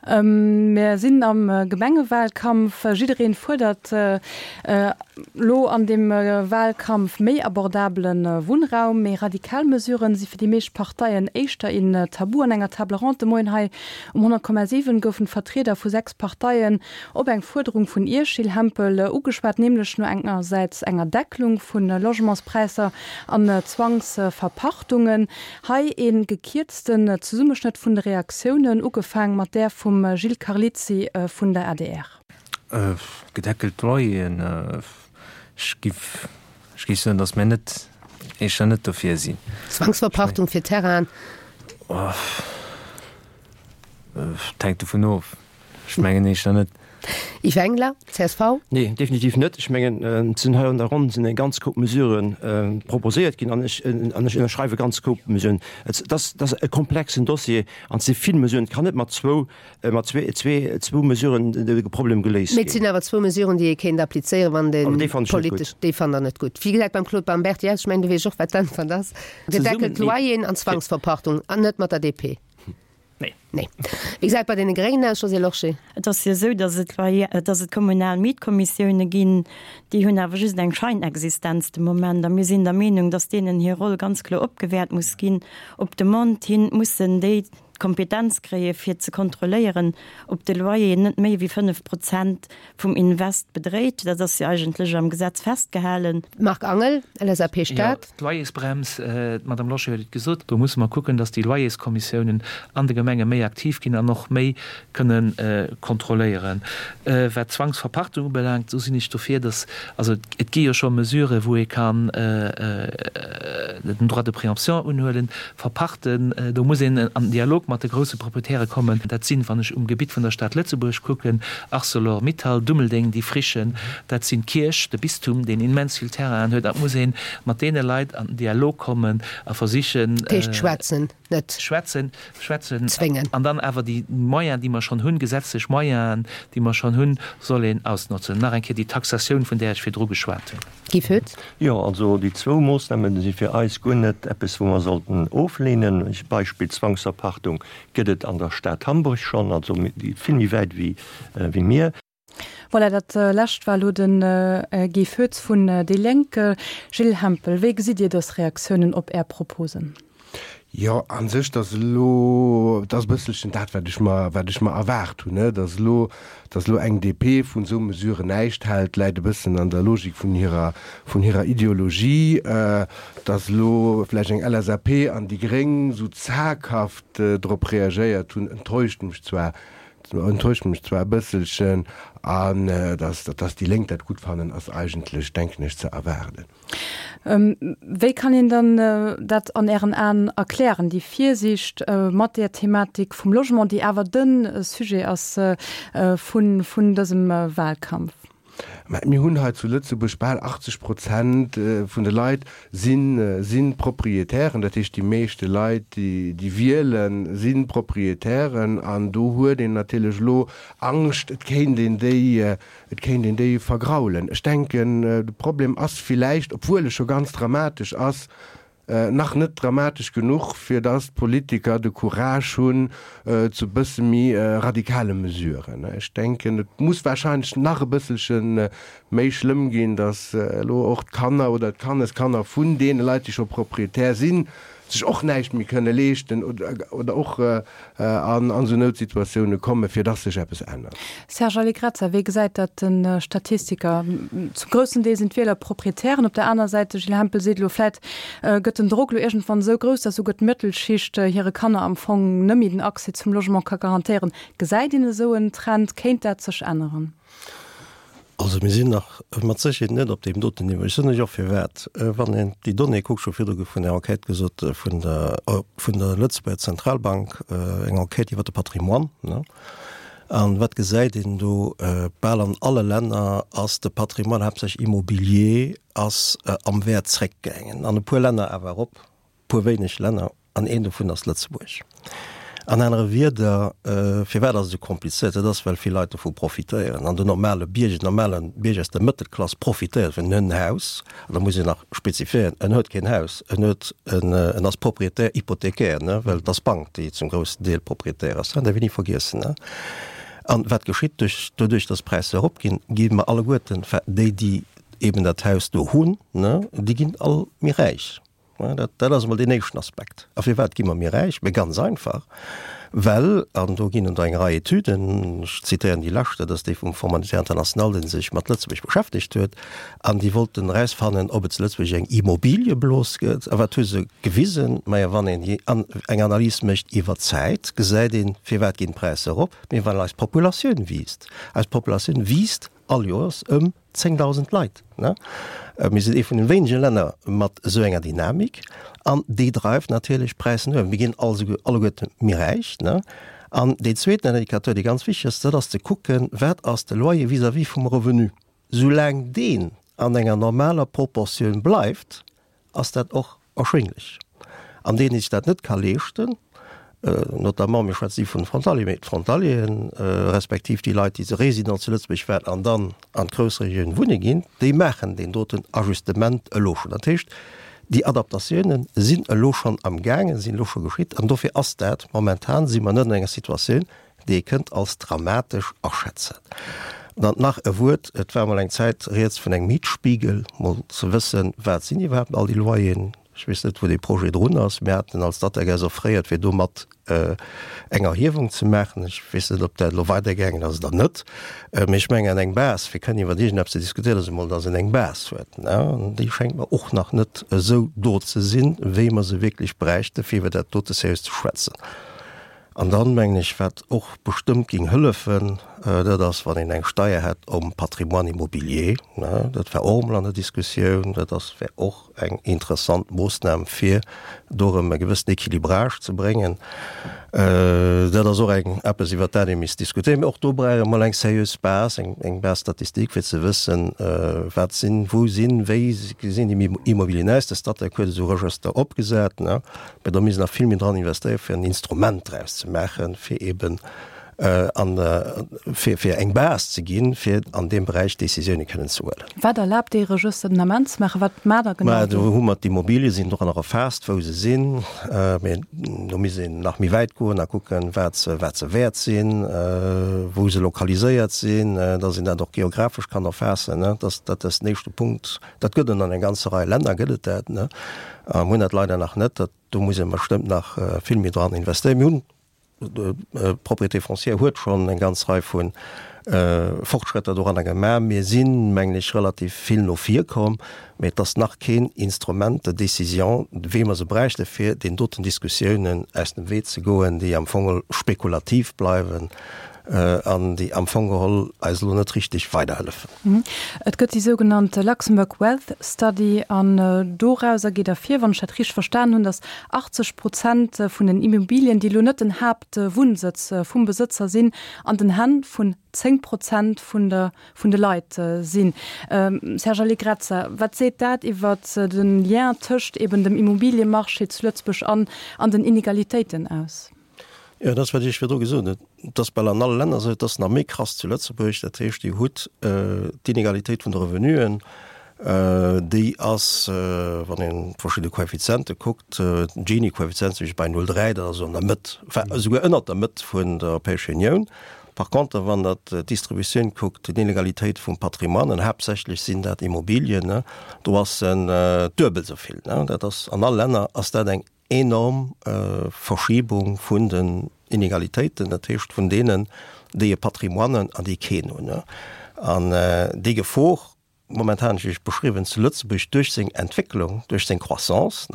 Mir sinn am Gemengewahlkampf. Jiddereen fuerdert elo an deem Wahlkampf méi abordabele Wunnraum. Méi radikal Mesuren si fir déi meescht Parteien éischter een Tabu. An enger Table ronde de Moien hei um honnert Komma siwen goufen d'Vertrieder vu sechs Parteien op eng Fuerderung vun Iech, Gilles Hempel, ugeschwat, nämlech no engersäits enger Deckelung vu Logementspräisser an Zwangsverpachtungen. Hei ee gekierzten Zesummeschnëtt vun de Reaktiounen, ugefaang mat där vum Gilles Carlizzi vun der adr. Gedeckelt Loyeren, ech giff, ech géif soen, datt mir net, éischter net dofir sinn. Zwangsverpachtung fir Terrainen? Et hänkt dovun of. Ech mengen éischter net. Yves Engler, csv. Nee, definitiv net. Ech mengen, et sinn hei an der Ronn sinn eng ganz Koup Mesurë proposéiert ginn an ech, an ech ënnerschreiwe ganz Koup Mesuren. Et ass, et ass e komplexen Dossier an et si vill Mesuren. Et kann net mat zwou, mat zwee, zwee, zwou Mesuren de Problem geléist Mee et ginn. sinn awer zwou Mesuren, déi ee kéint applizéieren, wann de Awer déi fannen ech net gutt. politesch, déi fannt Der net gutt. Wéi gesäit beim Claude Baumberti aus? Ech mengen, du weess och, wat d'Äntwert ass. Gedeckelt Loyeren an Zwangsverpachtung an net mat der DP. Nee. Nee. Wéi gesäit et bei deene Gréngen aus, Josée Lorsché? Et ass jo esou, datt et Loyer, datt et kommunal Mietkommissioune ginn. Déi hunn awer just eng Scheinexistenz de Moment. A mir sinn der Meenung, datt deenen hir Roll ganz kloer opgewäert muss ginn. Op Demande hin mussen déi d'Kompetenz kréie fir ze kontrolléieren, ob de Loyer net méi wéi fënnef Prozent vum Invest bedréit. Dat ass jo eigentlech am Gesetz festgehalen. Marc Angel, LSAP Stad. Jo, d'Loyersbrems, d'Madame Lorsché huet et gesot, do musse mer kucken, dass déi Loyerskommissiounen an de Gemenge méi aktiv ginn an och méi kënne kontrolléieren. Wat d'Zwangsverpachtung ubelaangt, do sinn ech dofir, dass, also et gi jo scho Mesuren, wou ee kann den Droit de préemption unhuelen, verpachten, do muss een an den Dialog mat de grousse Proprietäre kommen. Dat sinn, wann ech um Gebitt vun der Stad Lëtzebuerg kucken, Arcelor Mittal, Dummeldeng, déi Frichen, dat sinn d'Kierch, de Bistum, deen immens vill Terrainen huet. Et muss ee mat deene Leit an den Dialog kommen a versichen. Dat heescht schwätzen, net. Schwätzen, schwätzen. Zwéngen. An dann awer déi Moyens, déi mer schonn hunn, gesetzlech Moyenen, déi mer schonn hunn, soll een ausnotzen. Nach eng Kéier déi Taxatioun, vun där ech virdru geschwat hunn. Guy Foetz. Jo, also déi zwou Moossnamen si fir eis guer net eppes, wou mer sollten oflehnen. Beispill Zwangsverpachtung gëtt et an der Stad Hamburg schonn, also vill méi wäit wéi mir. Voilà, dat Lescht war elo de Guy Foetz vun déi Lénk. Gilles Hempel, wéi gesitt Dir dës Reaktiounen op Är Proposen? Jo, a sech, dass elo, dat ass e bësselchen dat, wat ech mer, wat ech mer erwaart hunn, ne, dass elo, dass elo eng D P vun esou Mesuren näischt hält, läit e bëssen an der Logik vun hirer, vun hirer Ideologie. Dass elo vläicht eng L S A P an déi Gréng esou zaghaft drop reagéiert hunn, enttäuscht mech zwar, enttäuscht mech zwar e bësselchen. An dass, dass déi Lénk dat gutt fannen, ass eigentlech, denken ech, ze erwaarden. Wéi kann een dann dat an Ären Aen erklären, déi Virsiicht mat där Thematik vum Logement, déi awer de Sujet ass vun vun dësem Wahlkampf? Mä mir hunn hei zu Lëtzebuerg bal achtzeg Prozent vun de Leit si si Proprietären, dat heescht déi meeschte Leit, déi déi wielen, si Proprietären an do huet een natierlech elo Angscht, et kéint een déi et kéint een déi vergraulen. Ech denken, de Problem ass villäicht, obwuel e scho ganz dramatesch ass, nach net dramatesch genuch, fir dass d'Politiker de Courage hunn zu e bësse méi radikale Mesuren. Ech denken, et muss wahrscheinlech nach e bësselche méi schlëmm ginn, dass elo och d'Kanner oder d'Kanneskanner vun deene Leit, déi scho Proprietär sinn, sech och näischt méi kënne leeschten oder och an esou Noutsituatioune kommen, fir dass sech eppes ännert. Serge Allegrezza, wéi gesäit dat de Statistiker? Zum groussen Deel sinn d'Wieler Proprietären. Op der aner Säit, de Gilles Hempel seet elo, vläit gëtt den Drock elo iergendwann esou grouss, dass souguer d'Mëttelschicht hire Kanner am Fong net méi den Accès zum Logement ka garantéieren. Gesäit een esou en Trend? Kéint dat sech änneren? Also mir sinn nach mat Sécherheet net op deem doten Niveau. Ech soen lech och firwat. Wann een déi Donnée kuckt, scho virdru gouf vun der Enquête gesot vun der vun der Lëtzebuerger Zentralbank, eng Enquête iwwer de Patrimoine, ne? An wat gesäit een do? Bal an alle Länner ass de Patrimoine, haaptsächlech immobilier, ass am Wäert zréckgaangen. An e puer Länner awer erop, e puer wéineg Länner, an een dovun ass Lëtzebuerg. An anere Wierder, firwat ass et esou komplizéiert? Dat ass, well vill Leit dovu profitéieren. An den normale Bierger, den normale Bierger aus der Mëttelklass profitéiert vun en Haus. An da muss een nach spezifiéieren, en huet keen Haus, en huet en, en ass Propriétaire hypothécaire, ne, well et ass d'Bank, déi zum groussen Deel Propriétaire ass. Dat däerf een ni vergiessen, ne. An wat geschitt duerch, doduerch, dass d'Präisser eropginn, gi mer alleguerten, enfin déi, déi eben dat Haus do hunn, ne, déi ginn all méi räich. Dat, dat ass emol deen éischten Aspekt. A firwat gi mer méi räich? Mee ganz einfach, well, an do ginn et eng Rei Etüden, ech zitéieren déi lescht, dat ass déi vum Fonds monétaire international, dee sech mat Lëtzebuerg beschäftegt huet, an déi wollten erausfannen, ob et zu Lëtzebuerg eng Immobiliëblos gëtt. A wat hu se gewisen? Majo, wann een déi an eng Analys mécht iwwer d'Zäit, gesäit een, firwat ginn d'Präisser erop? Mee well eis Populatioun wiisst. Eis Populatioun wiisst all Joers ëm zéngdausend Leit. Mir sinn ee vun de wéinege Länner mat esou enger Dynamik an déi dreift natierlech d'Präisser no uewen. Mir ginn alleguerte méi räich. An deen zweeten Indicateur, dee ganz wichteg ass, dat ass ze kucken, wat ass de Loyer vis-à-vis vum Revenu. Soulaang deen an enger normaler Proportioun bleift, ass dat och erschwinglech. An deen, dee sech dat net ka leeschten, notamment, mir schwätzen ni vun de Frontalieren, mee d'Frontalieren, respektiv déi Leit, déi Résident zu Lëtzebuerg waren an dann an d'Groussregioun wunne ginn, déi maachen deen doten Ajustement elo schonn. Dat heescht, déi Adaptatiounen sinn elo schonn amgaangen, sinn elo scho geschitt an dofir ass dat, momentan si mer net an enger Situatioun, déi ee kënnt als dramatesch aschätzen. Dann nach e Wuert, Et war emol eng Zäit rieds vun engem Mietspiegel, mol ze wëssen, wat sinn iwwerhaapt all déi Loyeren. Ech weess net, wou dee Projet drun ass. Mir haten als Statec offréiert, fir do mat eng Erhiewung ze maachen. Ech weess net, ob dat elo weidergaangen ass oder net. Mee ech mengen, eng Base, fir kënnen iwwer iergendeppes ze diskutéieren, ass emol, dass een eng Base huet. An déi schéngt mer och nach net esou do ze sinn, wéi mer se wierklech bräichten, fir iwwer dat dote seriös ze schwätzen. An dann, mengen ech, wat och bestëmmt géing hëllefen, dat ass, wann een eng Steier hätt um Patrimoine immobilier. Dat war och emol an der Diskussioun. Dat ass, wär och eng interessant Moossnam, fir do erëm e gewëssen Équilibrage ze bréngen. Dat ass och eng eppes, iwwert dat ee misst diskutéieren. Mee och do brauch ee mol eng seriös Base, eng, eng Base statistique, fir ze wëssen, wat sinn, wou sinn, wéi gesinn déi Immobilien aus. De Statec huet esou Regëster opgesat, ne, mee do misst nach vill méi dran investéieren, fir en Instrument draus ze maachen, fir eeben an fir, fir eng Base ze ginn, fir an deem Beräich Décisioune kënnen ze huelen. Wat erlaabt dee Regëster den Ament ze maachen? Wat maacht Der genau Mä do do? hu mer d'Immobilie sinn doranner erfaasst, wou se sinn. Mä do misst een nach méi wäit goen a kucken, wat se, wat se wäert sinn, wou se lokaliséiert sinn, dass een dat och geographesch kann erfaassen. Dat, dat ass den éischte Punkt. Dat gëtt et an enger ganzer Rei Länner gëtt et dat. Mir hunn dat leider nach net. Dat, do muss ee bestëmmt nach vill méi dran investéieren. Mir hunn D'Propriété foncière huet schonn eng ganz Rei vu Fortschrëtter doranner gemaach. Mir sinn, mengen ech, relativ vill no vir komm, mee et ass nach keen Instrument de décision, wéi mer se bräichte fir deenen doten Diskussiounen aus dem Wee ze goen, déi am Fong spekulativ bleiwen an déi am Fong geholl eis elo net richteg weiderhëllefen. Et gëtt déi sougenannt Luxembourg Wealth Study an dorauser geet ervir, wann ech dat richteg verstan hunn, datt achtzeg Prozent vun den Immobilien, déi elo net den Haaptwunnsëtz vum Besëtzer sinn, an den Hänn vun zéng Prozent vun der vun de Leit sinn. Serge Allegrezza, wat seet dat iwwert de Lien tëscht eben dem Immobiliemarché zu Lëtzebuerg an an den Inegalitéiten aus? Jo, dat ass, wat ech virdru gesot hunn. Et ass bal an alle Länner esou, et ass nach méi krass zu Lëtzebuerg. Dat heescht, Dir hutt d'Inegalitéit vun de Revenuen, déi ass, wann een verschidde Koeffiziente kuckt, den Gini-Koeffizient zum Beispill bei null dräi, dat ass esou an der Mëtt, enfin esouguer ënnert der Mëtt vun der Europäescher Unioun. Par contre, wann Der d'Distributioun kuckt, d'Inegalitéit vum Patrimoine, an haaptsächlech sinn dat Immobilien, do ass en duebel esou vill. Dat ass an alle Länner ass dat eng enorm Verschiebung vun den Inegalitéiten, dat heescht vun deenen, déi e Patrimoine an déi keen hunn. An déi Gefor, momentan ech iech beschriwwen, zu Lëtzebuerg duerch seng Entwécklung, duerch seng Croissance,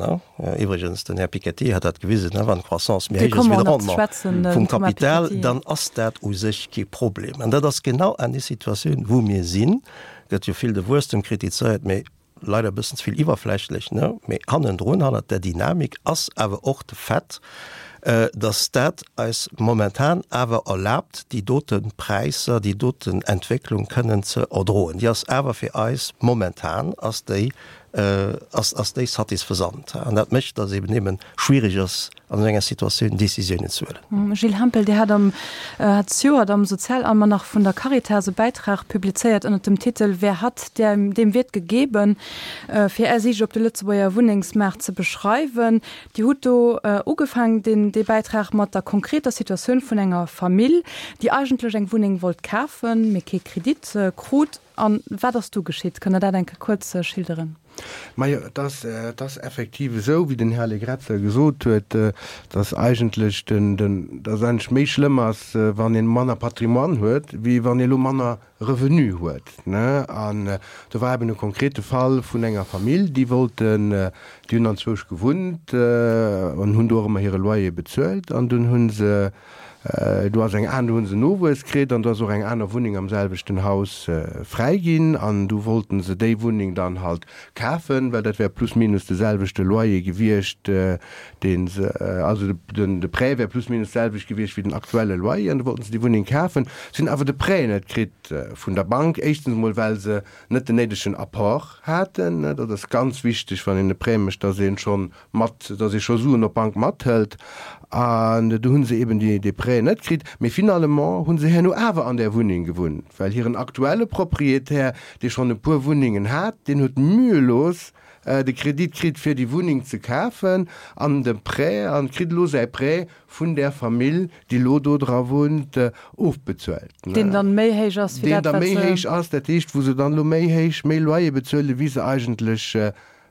iwwregens den Här Piketty hat dat gewisen, wann d'Croissance méi héich ass wéi de Rendement vum Kapital, dann ass dat u sech kee Problem. An dat ass genau an déi Situatioun, wou mir sinn. Gëtt jo vill de Wuesstem kritizéiert, mee leider e bëssen ze vill iwwerflächlech, ne? Mee hannendrun, hannert där Dynamik ass awer och de Fait, dass dat eis momentan awer erlaabt, déi dote Präisser, déi doten Entwécklung kënnen ze erdroen. Déi ass awer fir eis momentan ass déi, ass, ass déi satisfaisant. An dat mécht, dass eben eben schwierig ass, an esou enger Situatioun Décisiounen ze huelen. Gilles Hempel, Dir hat am hat zejoert am Sozialalmanach vun der Caritas e Bäitrag publizéiert ënnert dem Titel Wer hat, dem wird gegeben, fir Är Siicht op de Lëtzebuerger Wunnengsmaart ze beschreiwen. Dir hutt do ugefaangen, deen dee Bäitrag mat der konkreter Situatioun vun enger Famill, déi eigentlech eng Wunneng wollt kafen, mee kee Kredit krut. A wat ass du geschitt? Kënnt Der dat eng Kéier kuerz schilderen? Majo, et ass, et ass effektiv esou, wéi den Här Allegrezza gesot huet, dass eigentlech den, den, dass et eigentlech méi schlëmm ass, wann ee manner Patrimoine huet, wéi wann ee elo manner Revenu huet, ne. An do war eben e konkrete Fall vun enger Famill, déi wollten, déi hunn anzwousch gewunnt an hunn do och ëmmer hire Loyer bezuelt an dunn hu se, Do ass eng aner, do hu se Nowuess kritt an do ass och eng aner Wunneng am selwechten Haus fräi ginn an du wollten se déi Wunneng dann halt kafen, well dat wär plus minus de selwechte Loyer gewiescht, dee se, also den de Prêt wär plus minus d'selwecht gewiescht wéi den aktuelle Loyer an du wollten se déi Wunneng kafen. Se hunn awer de Prêt net kritt vun der Bank, éischtens emol well se net den néidegen Apport haten, dat ass ganz wichteg, wann een e Prêt mécht, dass ee schonn mat, dass ee scho Suen op d'Bank mathëlt. An do hu se eben déi, dee Prêt net kritt. Mee finalement hu se herno awer an där Wunneng gewunnt, well hiren aktuelle Proprietär, dee schonn e puer Wunnengen hat, deen huet mühelos de Kredit kritt, fir déi Wunneng ze kafen an de Prêt, an kritt elo säi Prêt vun där Famill, déi elo do dra wunnt, ofbezuelt. Deen dann méi héich ass wéi dat, wat se. Deen da méi héich ass, dat heescht, wou se dann elo méi héich, méi Loyer bezuelen, wéi se eigentlech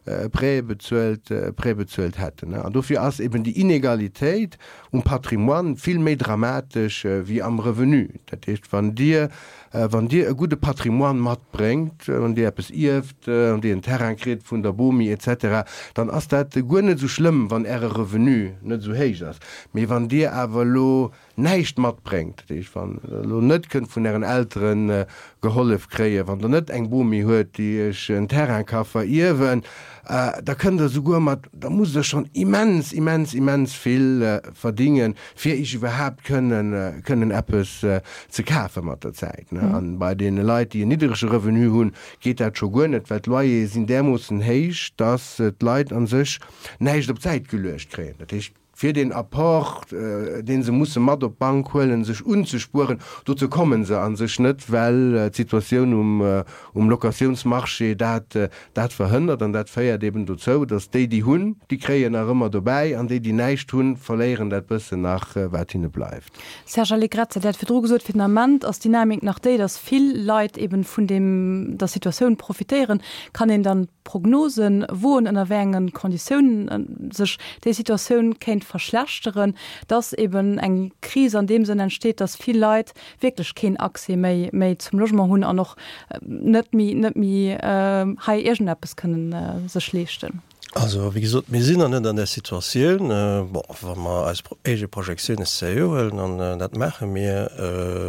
Prêt bezuelt, Prêt bezuelt hätten. An dofir ass eben déi Inegalitéit um Patrimoine vill méi dramatesch wéi am Revenu. Dat heescht, wann Dir, wann Dir e gudde Patrimoine matbréngt, wann Dir eppes ierft, wann Dir en Terrain kritt vun der Bomi et cetera, dann ass dat guer net esou schlëmm, wann Äre Revenu net esou héich ass. Mee wann Dir awer elo näischt matbréngt, dat heescht, wann Der elo net kënnt vun Ären Eltere gehollef kréien, wann Der net eng Bomi huet, déi Iech en Terrain ka verierwen, da kënnt Der souguer mat, da musst Der schonn immens, immens, immens vill verdingen, fir Iech iwwerhaapt kënnen, kënnen eppes ze kafe mat der Zäit. A bei deene Leit, déi en niddrege Revenu hunn, geet dat scho guer net, well d'Loyere sinn därmoossen héich, dass d'Leit a sech näischt op d'Säit geluecht kréien. Dat heescht, fir deen Apport, dee se musse mat op d'Bank huelen, sech unzespueren. Dozou komme se a sech net, well d'Situatioun um Locatiounsmarché dat dat verhënnert. An dat féiert eben dozou, datt déi, déi hunn, déi kréien nach ëmmer dobäi, an déi, déi näischt hunn, verléieren dat bëssen nach, wat hinne bleift. Serge Allegrezza, Dir hat virdru gesot, fir den Ament ass d'Dynamik nach déi, datt vill Leit eben vun deem der Situatioun profitéieren. Kann een dann Prognosen woen, ënner wéi engen Konditiounen sech déi Situatioun kéint verschlechteren, datt eben eng Kris an deem Sënn entsteet, datt vill Leit wierklech keen Accès méi méi zum Logement hunn an och net méi net méi hei iergendeppes kënnen sech leeschten? Also, wéi gesot, mir sinn nach net an där Situatioun. Bon, wa mer eis eege Projektiounen sérieux huelen, an dat maache mir,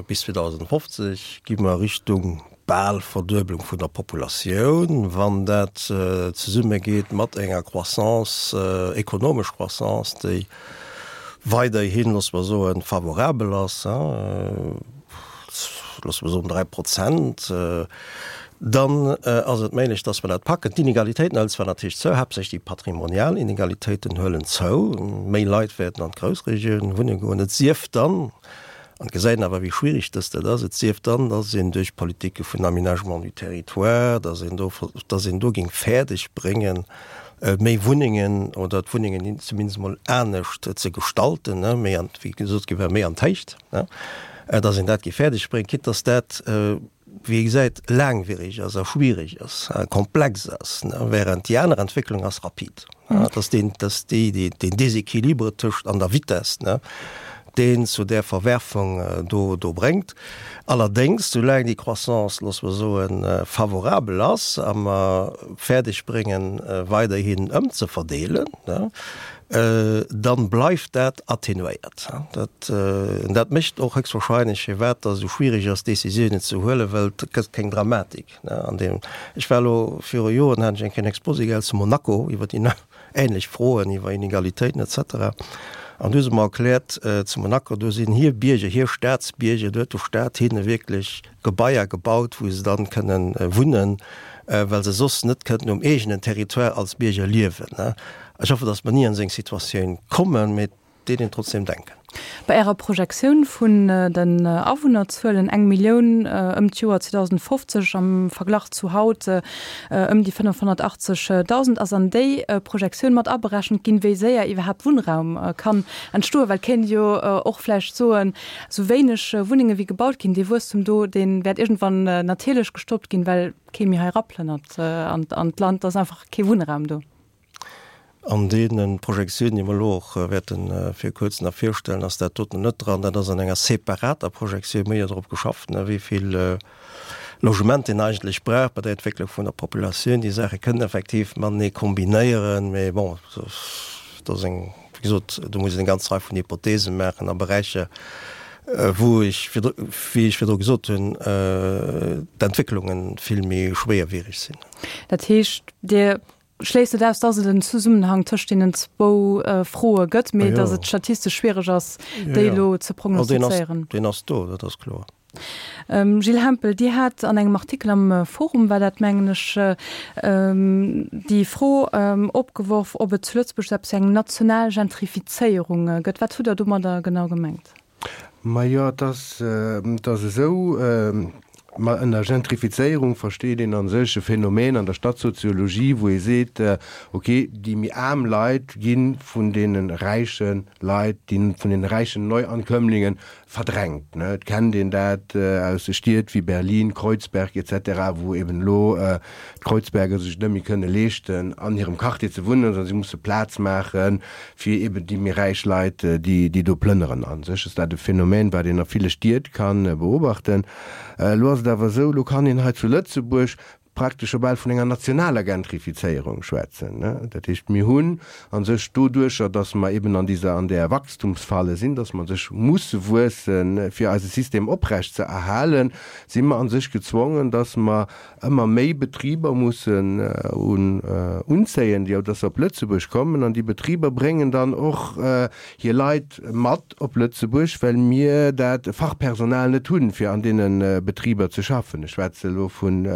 bis zweedausendfofzeg gi mer Richtung bal Verdueblung vun der Populatioun, wann dat zesummegeet mat enger Croissance, ekonomesch Croissance, déi weiderhin, loosse mer soen, favorabel ass, loosse mer soen dräi Prozent, dann ass et méiglech, dass mer dat packen. D'Inegalitéiten huelen zwar natierlech zou, haaptsächlech déi patrimonial Inegalitéiten huelen zou, méi Leit wäerten an d'Groussregioun wunne goen, et sief dann, an et gesäit een awer, wéi schwierig dass dat ass, et sief dann, dass een duerch Politike vun Aménagement du territoire, dass een do, dass een do géing fäerdeg bréngen, méi Wunnengen oder d'Wunnengen zumindest emol anescht ze gestalten, méi an, wéi gesot gi war, méi an d'Héicht, dass een dat géif fäerdeg bréngen, quitte dass dat, wéi ee gesäit, laangwierig ass a schwierig ass a komplex ass, während déi aner Entwécklung ass rapid. Dat ass deen, dat ass déi, déi, deen Déséquilibre tëscht an der Vitesse, ne, deen zu där Verwerfung do, do bréngt. Allerdéngs, soulaang déi Croissance, loosse mer soen, favorabel ass a mer fäerdeg bréngen, weiderhin ëmzeverdeelen, ne, dann bleift dat atténuéiert. Dat, dat mécht och héchstwahrscheinlech, firwat dass esou schwierig ass, Décisiounen ze huelen, well et gëtt keng Dramatik an deem. Ech war elo viru Joren, hat ech eng Kéier en Exposé gehal zu Monaco iwwer déi ähnlech Froen, iwwer Inegalitéiten et cetera An du hu se mer erkläert, zu Monaco, do sinn hir Bierger, hir Staatsbierger, do huet de Staat hinne wierklech Gebaier gebaut, wou se dann kënnen wunnen, well se soss net kënnten um eegenen Territoire als Bierger liewen. Ech hoffen, dass mer ni an esou eng Situatioun kommen, mee et deet een trotzdem denken. Bei Ärer Projektioun vun den Awunnerzuelen, eng Millioun ëm d'Joer zweedausendfofzeg am Verglach zu haut ëm déi fënnefhonnertachtzegdausend, ass an déi Projektioun mat aberechent ginn, wéi séier iwwerhaapt Wunnraum kann entstoen? Well et kéint ee jo och vläicht soen, esou wéineg Wunnenge wéi gebaut ginn, dee Wuesstum do, dee wäert iergendwann natierlech gestoppt ginn, well kee méi hei eraplënnert an d'Land, et ass einfach kee Wunnraum do. An deene Projektiounen, déi mer elo och wäerte vir kuerzem nach virstellen, ass dat doten net dran. Dat ass an enger separater Projektioun. Mir hu jo drop geschafft, wéi vill Logement een eigentlech brauch bei der Entwécklung vun der Populatioun. Déi Saache kënnen effektiv matenee kombinéieren, mee bon, dat ass eng, wéi gesot, do muss een eng ganz Rei vun Hypothese maachen a Beräicher, wou ech virdru, wéi ech virdru gesot hunn, d'Entwécklunge vill méi schwéierwiereg sinn. Dat heescht, Dir schléisst net aus, dass et en Zesummenhang tëscht deenen zwou Froe gëtt, mee dass et statistesch schwiereg ass, déi elo ze prognostizéieren. Deen ass do, dat ass kloer. Gilles Hempel, Dir hat an engem Artikel am Forum, war dat mengen ech, déi Fro opgeworf, ob et zu Lëtzebuerg esou eppes wéi eng national Gentrifizéierung gëtt. Wat hutt Der domadder genau gemengt? Majo, et ass, et ass esou, ma ënner Gentrifizéierung versteet een a sech e Phänomen an der Stadtsoziologie, wou ee seet, ok, déi méi aarm Leit gi vun deene räiche Leit, déi vun deene räichen Neuankömmlingen verdrängt. Et kennt een dat aus de Stied wéi Berlin, Kreuzberg et cetera, wou eben elo d'Kreuzberger sech et net méi kënne leeschten, an hirem Quartier ze wunnen, sondern si musse Plaz maache fir eben déi méi räich Leit, déi do plënneren. A sech ass dat e Phänomen, wat een a ville Stied ka beobachten. Elo ass et awer esou, elo kann een hei zu Lëtzebuerg praktesch scho bal vun enger nationaler Gentrifizéierung schwätzen. Dat heescht, mir hunn a sech doduercher, datt mer eben an dieser, an där Wachstumsfalle sinn, datt mer a sech musse wuessen, fir eise System oprecht ze erhalen, si mer a sech gezwongen, datt mer ëmmer méi Betriber mussen unzéien, déi datt se op Lëtzebuerg kommen. An déi Betriber bréngen dann och hir Leit mat op Lëtzebuerg, well mir dat Fachpersonal net hunn, fir an deene Betriber ze schaffen. Ech schwätze elo vun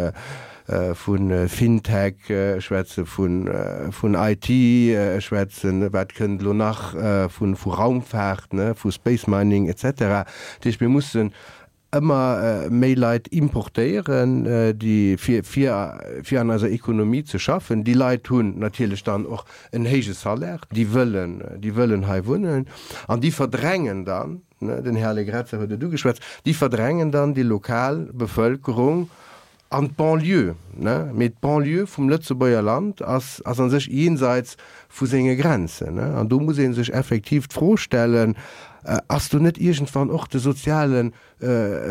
vu Fintech, ech schwätze vun I T, ech schwätzen, wat kënnt elo nach, vu Raumfaart, vu Space Mining et cetera. Dat heescht, mir mussen ëmmer méi Leit importéieren, déi fir fir an eiser Ekonomie ze schaffen. Déi Leit hunn natierlech dann och en héije Salaire, déi wëllen, déi wëllen hei wunnen an déi verdrängen dann, den Här Allegrezza huet et ugeschwätzt, déi verdrängen dann déi lokal Bevëlkerung an d'Banlieue. Mee d'Banlieue vum Lëtzebuerger Land ass ass a sech jenseits vu senge Grenzen. An do muss ee sech effektiv d'Fro stellen, Ass do net iergendwann och de soziale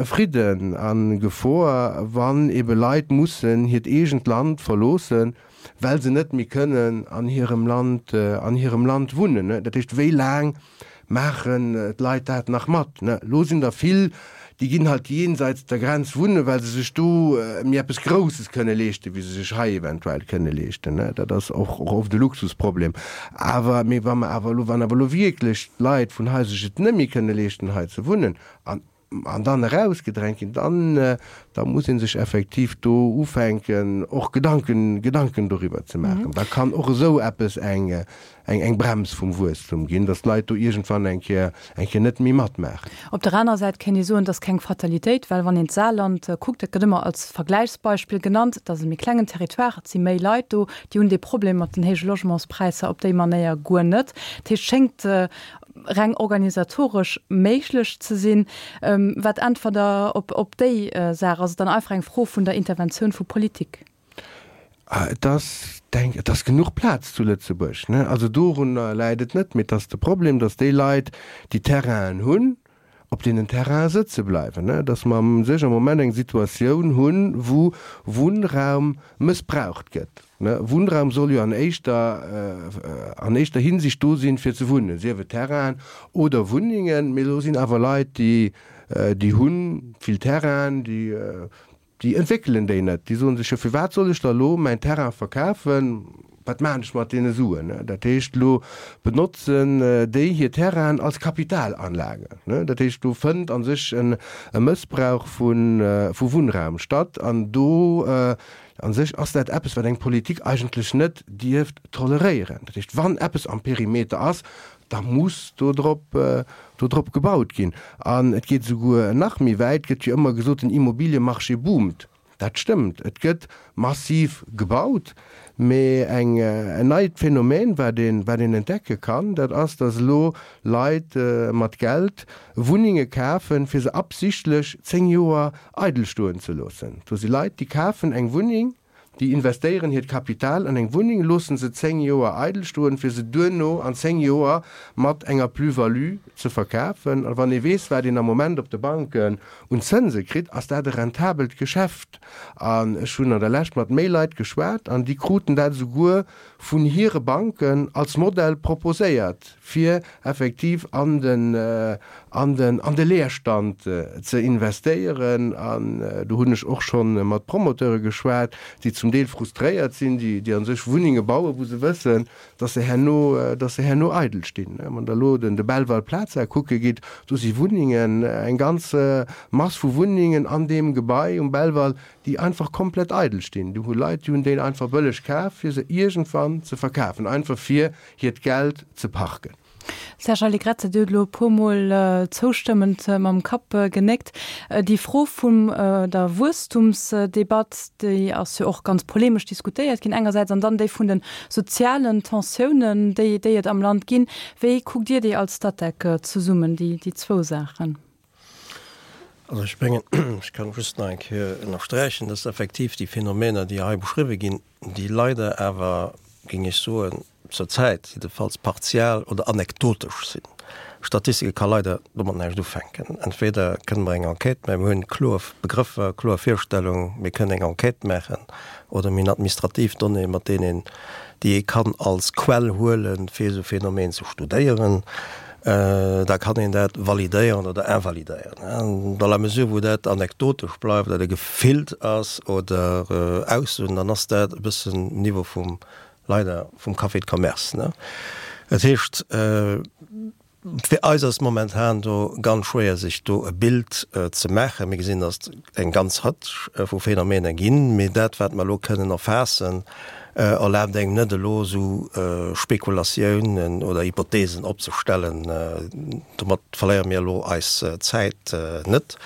Fridden a Gefor, wann ebe Leit mussen hiert eegent Land verloossen, well se net méi kënnen an hirem Land, an hirem Land wunnen? Dat heescht, wéi laang maachen d'Leit dat nach mat? Elo sinn der vill, déi ginn halt jenseits der Grenz wunnen, well se sech do méi eppes Grousses kënne leeschten, wéi se sech hei eventuell kënne leeschten. Dat ass och oft e Luxusproblem. Awer, mee wa mer awer elo, wann awer elo wierklech d'Leit vun hei sech et net méi kënne leeschten, hei ze wunnen, an, an dann erausgedrängt ginn, dann, da muss ee sech effektiv do ufänken, och Gedanken, Gedanken doriwwer ze maachen. Da kann och esou eppes eng, eng, eng Brems vum Wuesstum ginn, datt d'Leit do iergendwann eng Kéier, eng Kéier net méi matmaachen. Op der anerer Säit kéint ee soen, et ass keng Fatalitéit, well wann een d'Saarland kuckt, dat gëtt ëmmer als Vergläichsbeispill genannt, et ass e méi klengen Territoire, et si méi Leit do, déi hunn dee Problem mat den héije Logementspräisser op déi Manéier guer net. Dat heescht, et schéngt reng organisatoresch méiglech ze sinn. Wat äntwert Der op, op déi Saach? Ass et dann einfach eng Fro vun der Interventioun vu Politik? Et ass, denk, et ass genuch Plaz zu Lëtzebuerg, ne? Also dorunner läit et net, mee et ass de Problem, datt déi Leit, déi Terrainen hunn, op deenen Terrainen sëtze bleiwen, ne? Datt mer u sech am Moment eng Situatioun hunn, wou Wunnraum mëssbraucht gëtt, ne? Wunnraum soll jo an éischter, an éischter Hinsicht do sinn, fir ze wunnen, sief et Terrainen oder Wunnengen. Mee elo sinn awer Leit, déi, déi hu vill Terrainen, déi, Déi entwéckelen déi net. Déi soen sech, jo firwat soll ech da lo mäin Terrain verkafen, wat maachen ech mat deene Suen? Dat heescht, elo benotzen déi hir Terrainen als Kapitalanlage. Dat heescht, do fënnt a sech e Mëssbrauch vu Wunnraum statt an do a sech ass dat eppes, wat eng Politik eigentlech net dierft toleréieren. Dat heescht, wann eppes am Perimeter ass, da muss do drop, do drop gebaut ginn. An et geet esouguer nach méi wäit, Et gëtt jo ëmmer gesot, den Immobiliemarché boomt. Dat stëmmt, et gëtt massiv gebaut. Mee eng, en neit Phänomen, wat een, wat een entdecke kann, dat ass, datt elo Leit mat Geld Wunnenge kafen, fir se absichtlech zéng Joer eidel stoen ze loossen. Do si Leit, déi kafen eng Wunneng, Déi investéieren hiert Kapital an eng Wunneng, loossen se zéng Joer eidel stoen, fir se duerno an zéng Joer mat enger Plus-value ze verkafen. A wann ee weess, wat een am Moment op de Banken un Zënse kritt, ass dat e rentabelt Geschäft. An ech hunn an der Lescht mat méi Leit geschwat an déi kruten dat esouguer vun hire Banken als Modell proposéiert, fir effektiv an den, an den, an de Leerstand ze investéieren. An do hunn ech och scho mat Promoteure geschwat, déi zum Deel frustréiert sinn, déi, déi a sech Wunnenge bauen, wou se wëssen, dass se herno, dass se herno eidel stinn. Wann Der elo den, de Belval Plaza kucke gitt, do si Wunnengen, eng ganz Mass vu Wunnengen an deem Gebai um Belval, déi einfach komplett eidel stinn. Do hu Leit, déi hunn déi einfach bëlleg kaf, fir se iergendwann ze verkafen, einfach fir hiert Geld ze parken. Serge Allegrezza, Dir hutt elo e puermol zoustëmmend mam Kapp genéckt. Déi Fro vum der Wuesstumsdebatt, déi ass jo och ganz polemesch diskutéiert ginn engersäits, an dann déi vun de sozialen Tensiounen, déi déi et am Land ginn. Wéi kuckt Dir déi als Statec zesummen, déi déi zwou Saachen? Also ech mengen, ech kann just nach eng Kéier ënnersträichen, dass effektiv déi Phänomener, déi hei beschriwwen ginn, déi leider awer, géing ech soen, zur Zäit jiddefalls partial oder anekdotesch sinn. Statistike ka leider domat näischt ufänken. Entweder kënne mer eng Enquête maachen, mir hunn kloer Begrëffer, kloer Virstellungen, mir kënnen eng Enquête maachen, oder mir hunn administrativ Donnéeën, mat deenen een, déi ee kann als Quell huelen, fir esou Phänomen ze studéieren. Da kann een dat validéieren oder invalidéieren. Dans la mesure wou dat anekdotesch bleift oder gefillt ass oder Aussoen, dann ass dat e bëssen Niveau vum, leider, vum Café de commerce. Dat heescht, Fir eis ass momentan do ganz schwéier sech do e Bild ze maachen. Mir gesinn, datt et eng ganz Rëtsch vu Phänomener ginn, mee dat wat mer elo kënnen erfaassen, erlaabt engem net elo esou Spekulatiounen oder Hypothesen opzestellen. Domat verléiere mir elo eis Zäit net.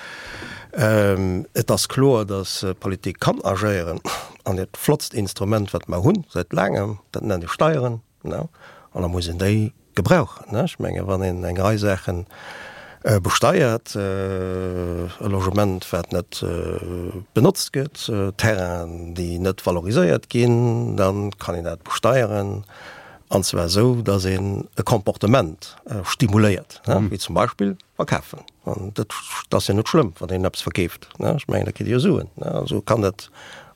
Et ass kloer, datt d'Politik kann agéieren an dat flottst Instrument wat mer hunn säit laangem, dat nennt ee Steieren, an da muss een déi gebrauchen. Ech menge wann een eng Rei Saache besteiert, e Logement wat net benotzt gëtt, Terrainen déi net valoriséiert ginn, da kann een dat besteieren, an zwar esou, datt een e Comportement stimuléiert, wéi zum Beispill verkafen. An dat ass jo net schlëmm, wann een eppes verkeeft. Ech mengen, da kritt ee jo Suen. Also kann dat,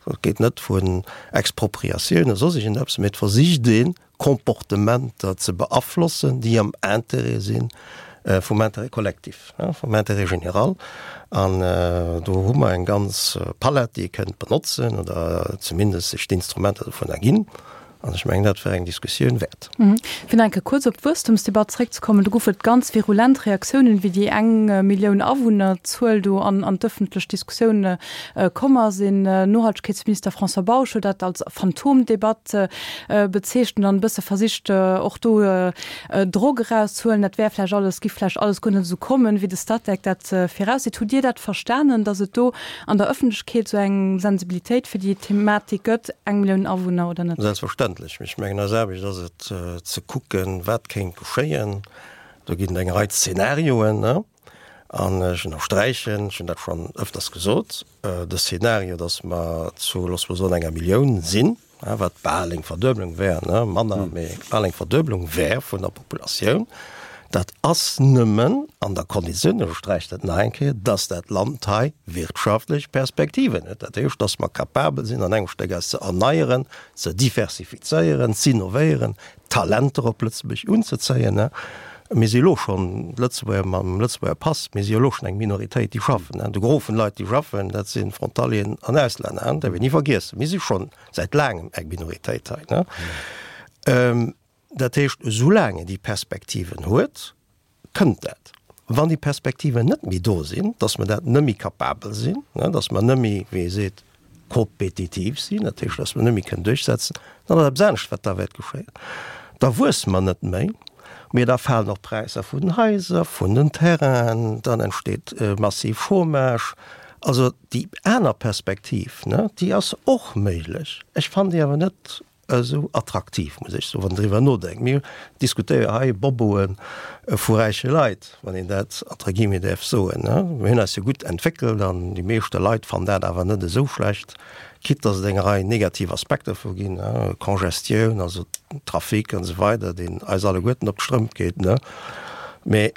et geet net vun Expropriatioun oder soss iergendeppes, mee et versicht een, Comportementer ze beaflossen, déi am Intérêt si vum Intérêt collectif, vum Intérêt général. An do hu mer eng ganz Palett, déi ee kënnt benotzen oder zumindest sech d'Instrumenter dovunner ginn. An ech mengen, dat wär eng Diskussioun wäert. Fir nach eng Kéier kuerz op d'Wuesstumsdebatt zréckzekommen, Do gouf et ganz virulent Reaktiounen, wéi déi eng Millioun Awunnerzuel do an d'ëffentlech Diskussioun komm ass. Een Nohaltegkeetsminister François Bausch huet dat als Phantomdebatt bezeechent an e bësse versicht och do Drock erauszehuelen. Dat wär vläicht alles, giff vläicht alles guer net esou kommen, wéi de Statec dat virausseet. Hutt Dir dat verstanen, datt et do an der Ëffentlechkeet esou eng Sensibilitéit fir déi Thematik gëtt, eng Millioun Awunner oder net? Selbstverständlech. Ech mengen, eis Aarbecht ass et ze kucken, wat kéint geschéien. Do ginn et eng Rei Zenarioen. An ech ënnersträichen, ech hunn dat schonn ëfters gesot, de Szenario, datt mer zu, loosse mer soen, enger Millioun sinn, wat bal eng Verdueblung wär, manner, mee bal eng Verdueblung wär vun der Populatioun, dat ass nëmmen an der Konditioun, ech ënnersträichen dat nach eng Kéier, datt dat Land hei wirtschaftlech Perspektiven huet. Dat heescht, datt mer capabel sinn, an engem Stéck eis ze erneieren, ze diversifizéieren, z'innovéieren, Talenter op Lëtzebuerg unzezéien. Mir si elo schonn, d'Lëtzebuerger mam Lëtzebuerger Pass, mir si jo elo schonn eng Minoritéit, déi schaffen. De Gros vun de Leit, déi schaffen, dat si Frontalieren an Auslänner, dat däerf een ni vergiessen. Mir si schonn säit laangem eng Minoritéit hei. Dat heescht, esoulaang een déi Perspektiven huet, kënnt dat. Wann déi Perspektiven net méi do sinn, dass mer dat net méi capabel sinn, dass mer net méi, wéi ee seet, kompetitiv sinn, dat heescht, dass mer net méi kënnen duerchsetzen, dann ass eppes anescht, wat da wäert geschéien. Da wuesse mer net méi, mee da falen och d'Präisser vun den Haiser, vun den Terrainen, dann entsteet massiv Chômage. Also déi aner Perspektiv, déi ass och méiglech. Ech fannen déi awer net esou attraktiv, muss ech soen, wann een driwwer nodenkt. Mir diskutéiere hei Boboe vu räiche Leit, wann een dat entre guillemets däerf soen. Mir hunn eis jo gutt entwéckelt an déi meeschte Leit fannen dat awer net esou schlecht, quitte dass et eng Rei negativ Aspekter vu ginn, Congestioun, also Trafic an esou weider, deen eis alleguerten op d'Strëmp geet. Mä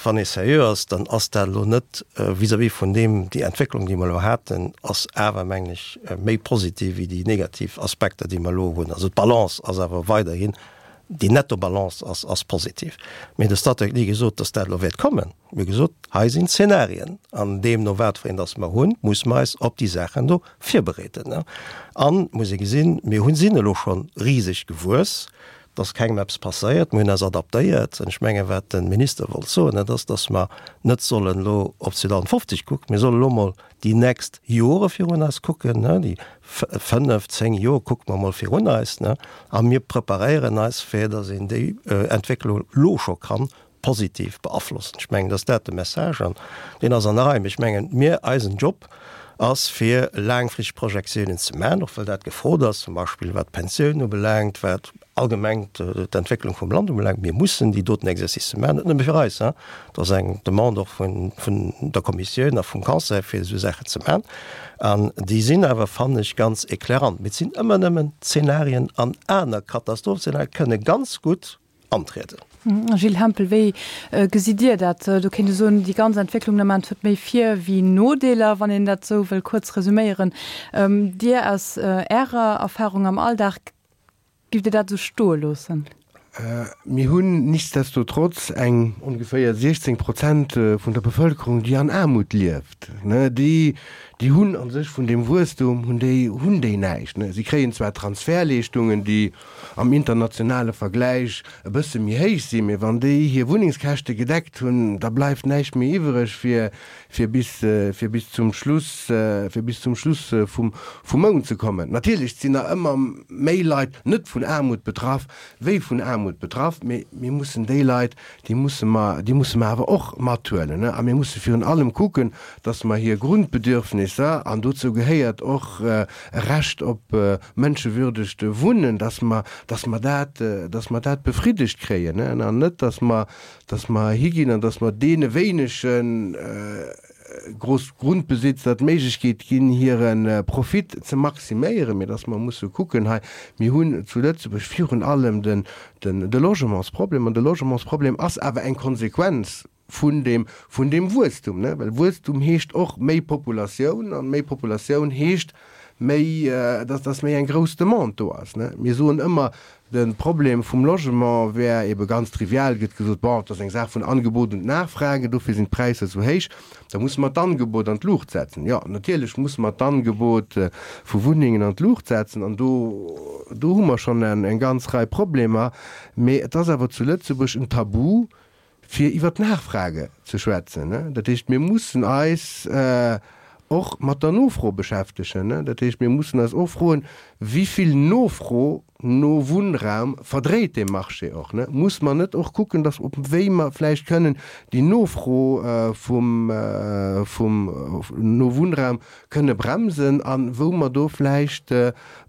wann ee seriö ass, dann ass dat elo net vis-à-vis vun deem, déi Entwécklung, déi mer elo haten, ass awer, mengen ech, méi positiv wéi déi negativ Aspekter, déi mer elo hunn. Also d'Balance ass awer weiderhin, déi Nettobalance ass, ass positiv. Mee de Statec huet ni gesot, datt dat elo wäert kommen. Mir hu gesot, hei sinn Zenarien, an deemno wat fir een datt mer hunn, muss mer eis op déi Saachen do virbereeden. An, muss ee gesinn, mir hunn, sinn elo scho riseg gewuess. Et ass kengem eppes passéiert, mir hunn eis adaptéiert. An ech mengen, wat de Minister wollt soen, dat ass, datt mer net sollen elo op zweedausendfofzeg kucken, mir solle elo mol déi nächst Jore virun eis kucken, déi fënnef, zéng Jor kucke mer mol virun eis, a mir preparéieren eis, fir datt een déi Entwécklung elo scho kann positiv beaflossen. Ech mengen, dass dat de Message an deen ass an der Rei. Mee ech mengen, mir, eisen Job ass fir laangfristeg Projektiounen ze maachen, och well dat gefrot ass, zum Beispill wat d'Pensiounen ubelaangt, wat allgemeng d'Entwécklung vum Land ubelaangt. Mir mussen déi doten Exercicë maachen, net nëmme fir eis, hein, dat ass eng Demande och vun der Kommissioun a vum Conseil, fir esou Saachen ze maachen. An déi sinn awer, fannen ech, ganz éclairant. Mee et sinn ëmmer nëmmen Zenarien an aner Katastrophenzenarien kënne ganz gutt antrieden. Gilles Hempel, wéi gesitt Dir dat? Do kéint ee soen, déi ganz Entwécklung den Ament huet méi Vir wéi Nodeeler, wann een dat esou wëll kuerz resuméieren. Dir aus Ärer Erfahrung am Alldag, giff Dir dat esou stoe loossen? Mir hunn nichtsdestotrotz eng ongeféier siechzéng Prozent vun der Bevëlkerung, déi an Aarmut lieft, déi, déi hunn a sech vun deem Wuesstum hunn déi hunn déi näischt, ne. Si kréien zwar Transfertleeschtungen, déi am internationale Vergläich e bësse méi héich sinn, mee wann déi hir Wunnengskäschte gedeckt hunn, da bleift näischt méi iwwereg fir fir bis fir bis zum Schluss fir bis zum Schluss vum vum Mount ze kommen. Natierlech sinn nach ëmmer méi Leit net vun Aarmut betraff wéi vun Aarmut betraff, mee mir mussen déi Leit, déi musse mer déi musse mer awer och mathuelen, ne. A mir musse virun allem kucken, dass mer hir Grundbedürfnisser, an dozou gehéiert och e Recht op mënschewürdegt Wunnen, dass mer, dass mer dat, dass mer dat befriddegt kréien, an net, dass mer, dass mer higinn an dass mer deene wéinege Grossgrundbesitzer d'Méiglechkeet ginn, hire Profit ze maximéieren, mee dass mer musse kucken hei, mir hunn zu Lëtzebuerg virun allem den, de Logementsproblem, an de Logementsproblem ass awer eng Konsequenz vun deem, vun deem Wuesstum, ne, well Wuesstum heescht och méi Populatioun an méi Populatioun heescht méi, dass, dass méi eng grouss Demande do ass, ne. Mir soen ëmmer, de Problem vum Logement wär ebe ganz trivial, gëtt gesot, bon, et ass eng Saach vun Angebot und Nachfrage, dofir sinn d'Präisser esou héich, da musse mer d'Angebot an d'Luucht setzen. Jo, natierlech musse mer d'Angebot vu Wunnengen an d'Luucht setzen an do, do hu mer schonn eng ganz Rei Problemer, mee et ass awer zu Lëtzebuerg en Tabu, fir iwwer d'Nachfrage ze schwätzen. Dat heescht, mir mussen eis och mat der Nofro beschäftegen. Dat heescht, mir mussen eis och froen, Wéi vill Nofro no Wunnraum verdréit dee Marché och? Muss mer net och kucken, dass op wéi mer vläicht kënnen déi Nofro vum vum no Wunnraum kënne bremsen a wou mer do vläicht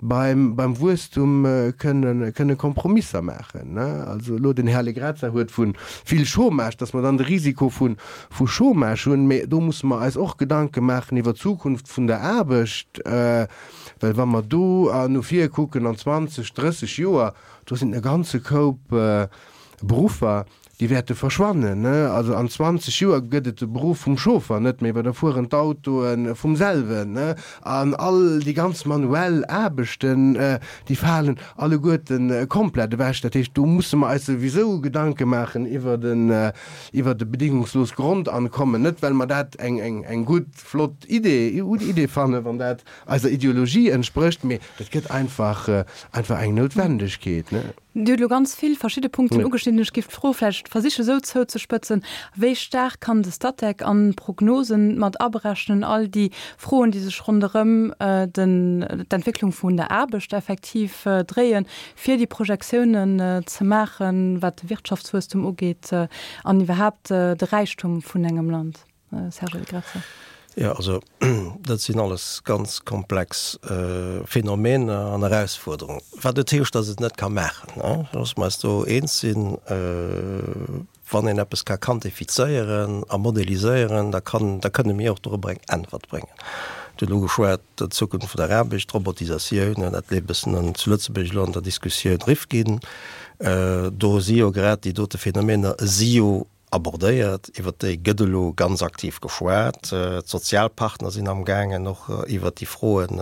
beim beim Wuesstum kënne kënne Kompromisser maachen? Also elo den Här Allegrezza huet vu vill Chômage, dass mer dann de Risiko vu vu Chômage hunn, mä do musse mer eis och Gedanke maachen iwwer d'Zukunft vun der Aarbecht, well wa mer do no vir kucken an zwanzeg, drësseg Joer, do sinn e ganze Koup Beruffer, déi wäerte verschwannen. Also an zwanzeg Joer gëtt et de Beruff vum Chauffer net méi, well da fueren d'Autoe vum selwen. An all déi ganz manuell Aarbechten, déi falen alleguerte komplett ewech. Dat heescht, do musse mer eis souwisou Gedanke maachen iwwer e bedingungsloost Grondankommen. Net well mer dat eng gutt, flott Idee fannen, wann dat eiser Ideologie entsprécht, mee dat gëtt einfach einfach eng Noutwendegkeet. Dir hutt elo ganz vill verschidde Punkten ugeschnidden. Ech géif d'Fro vläicht versiche sou zouzespëtzen, Wéi staark kann de Statec an d'Prognosen mat aberechnen, all déi Froen, déi sech ronderëm d'Entwécklung vun der Aarbecht effektiv dréien, fir déi Projektiounen ze maachen, wat de Wirtschaftswuesstum ugeet an iwwerhaapt de Räichtum vun engem Land? Serge Allegrezza. Jo, also dat sinn alles ganz komplex Phänomener an Erausfuerderungen. Wat net heescht, datt et net ka maachen. Loosse mer eis do eens sinn, wann een eppes ka quantifizéieren a modeliséieren, da kann, da kënne mir och dorobber eng Äntwert bréngen. Dir hutt elo geschwat, d'Zukunft vun der Aarbecht, d'Robotisatioun, dat leeft e bëssen an zu Lëtzebuerg elo an der Diskussioun. Rifkin, do si jo grad déi dote Phänomener si jo abordéiert, iwwert déi gëtt elo ganz aktiv geschwat. D'Sozialpartner sinn amgaangen och iwwert déi Froen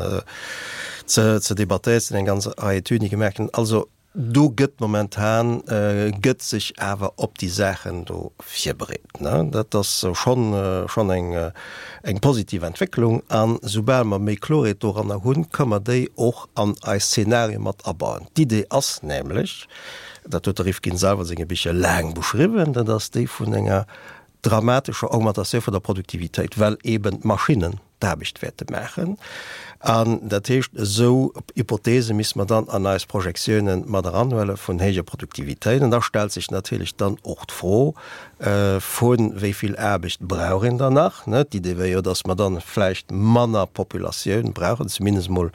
ze ze debattéieren. Et sinn eng ganz Rei Etüden, déi gemaach ginn. Also do gëtt momentan gëtt sech awer op déi Saachen do virbereet. Dat ass schonn schonn eng eng positiv Entwécklung. A soubal mer méi Klorheet doranner hunn, kënne mer déi och an eis Szenarie mat abauen. D'Idee ass nämlech, dat huet de Rifkin selwer a senge Bicher laang beschriwwen, dat ass déi vun enger dramatescher Augmentatioun vun der Produktivitéit, well eben d'Maschinnen d'Aarbecht wäerte maachen. An dat heescht, esou Hypothese misste mer dann an eis Projektiounen mat eranhuele vun héijer Produktivitéit. An da stellt sech natierlech dann och d'Fro vu wéi vill Aarbecht brauch een dann nach. D'Idee wär jo, datt mer dann vläicht manner Populatioun brauchen, zumindest emol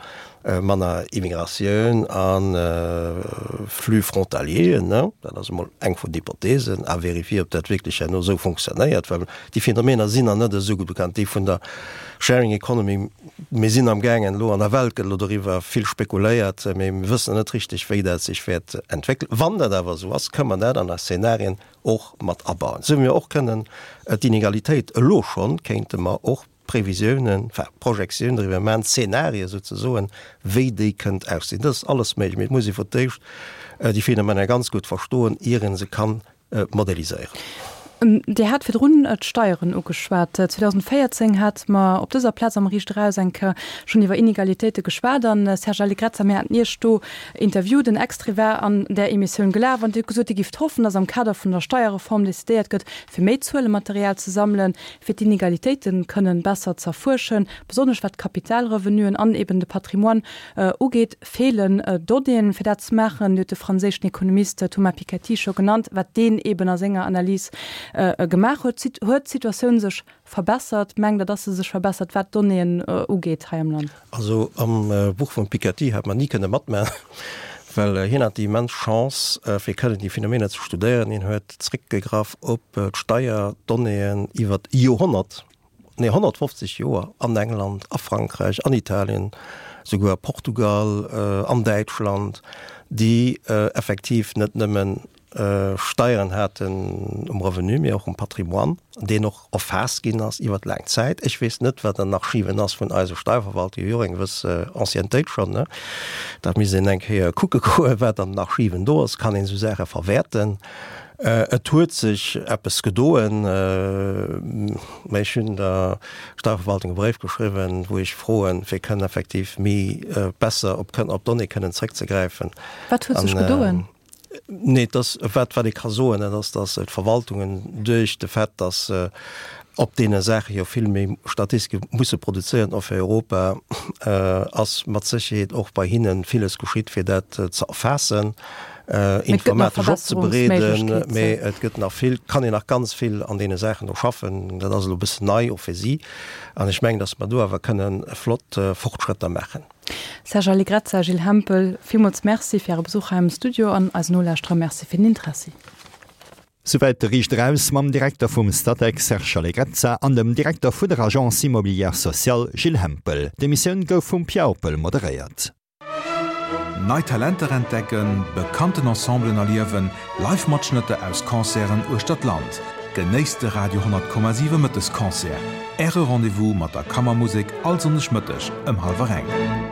manner Immigratioun a Flux frontalieren, dat ass emol eng vun den Hypothesen, à vérifier, ob dat wierklech herno esou fonctionnéiert, well déi Phänomener sinn nach net esou gutt bekannt, déi vun der Sharing Economy. Mir sinn amgaangen elo, an der Welt gëtt elo doriwwer vill spekuléiert, mee mir wëssen nach net richteg, wéi dat sech wäert entwéckelen. Wann dat awer esou ass, kënnen mer dat an eis Szenarien och mat abauen, esou wéi mir och kënnen d'Inegalitéit elo schonn, kéinte mer och Previsiounen, enfin Projektiounen driwwer maachen, Zenarie souzesoen, wéi déi kënnt aussinn. Dat ass alles méiglech, mee et muss ee fir d'éischt déi Phänomener ganz gutt verstoen, ier ee se kann modelliséieren. Dir hat virdrun d'Steieren ugeschwat. zweedausendvéierzéng hate mer op dëser Plaz am Riicht Eraus eng Kéier schonn iwwer Inegalitéite geschwat an, Serge Allegrezza, mir haten Iech do interviewt, en Extrait war an där Emissioun gelaf an Dir hutt gesot, Dir gifft hoffen, datt am Kader vun der Steierreform decidéiert gëtt, fir méi Zuelematerial ze sammelen, fir d'Inegalitéite kënnen besser z'erfuerschen, besonnesch wat d'Kapitalrevenuen an eben de Patrimoine ugeet, feelen Donnéeën, fir dat ze maachen. Dir hutt de franséischen Ekonomist Thomas Piketty scho genannt, wat deen eben a senger Analys gemaach huet. Huet d'Situatioun sech verbessert? Mengt Der, dass se sech verbessert, wat d'Donnéeën ugeet hei am Land? Also am Buch vum Piketty hätt mer ni kënne matmachen, well hien hat déi immens Chance, fir kënnen déi Phänomener ze studéieren. Hien huet zréckgegraff op d'Steierdonnéeën iwwer Joerhonnert, nee honnertfofzeg Joer an England, a Frankräich, an Italien, souguer a Portugal, an Däitschland, déi effektiv net nëmmen Steieren haten um Revenu, mee och um Patrimoine, deen och erfaasst ginn ass iwwert laang Zäit. Ech weess net, wat an den Archiven ass vun eiser Steierverwaltung, déi hu jo och eng gewëss Anciennetéit schonn, ne? Dat misst een eng Kéier kucke goen, wat an den Archiven do ass. Kann een esou Saache verwäerten? Et huet sech eppes gedoen, mä ech hunn der Steierverwaltung e Bréif geschriwwen, wou ech froen, fir kënnen effektiv méi besser op d'Donnéeë kënnen zréckzegräifen. Wat huet sech gedoen? Nee, et ass, wat, wat ee ka soen, dat ass, datt d'Verwaltungen duerch de Fait, datt se op deene Saache jo vill méi Statistike musse produzéieren, och fir Europa, ass mat Sécherheet och bei hinne villes geschitt, fir dat ze erfaassen, informatesch opzebereeden. Mee et gëtt nach vill, kann een nach ganz vill an deene Saachen do schaffen. Dat ass elo e bëssen nei och fir si. An ech mengen, datt mer do awer kënne flott Fortschrëtter maachen. Serge Allegrezza, Gilles Hempel, villmools Merci fir Äre Besuch hei am Studio an eisen Nolauschterer Merci fir den Interessi. Souwäit de Riicht Eraus mam Direkter vum Statec Serge Allegrezza an dem Direkter vu der Agence Immobilière Sociale Gilles Hempel. D'Emissioun gouf vum Pia Oppel moderéiert. Nei Talenter entdecken, bekannten Ensemblen erliewen, Live-Matschnëtter aus Concerten uechter d'Land. Genéisst de Radio honnert Komma siwe Mëttesconcert, Äre Rendez-vous mat der Kammermusek all Sonndeg Mëtteg ëm hallwer eng.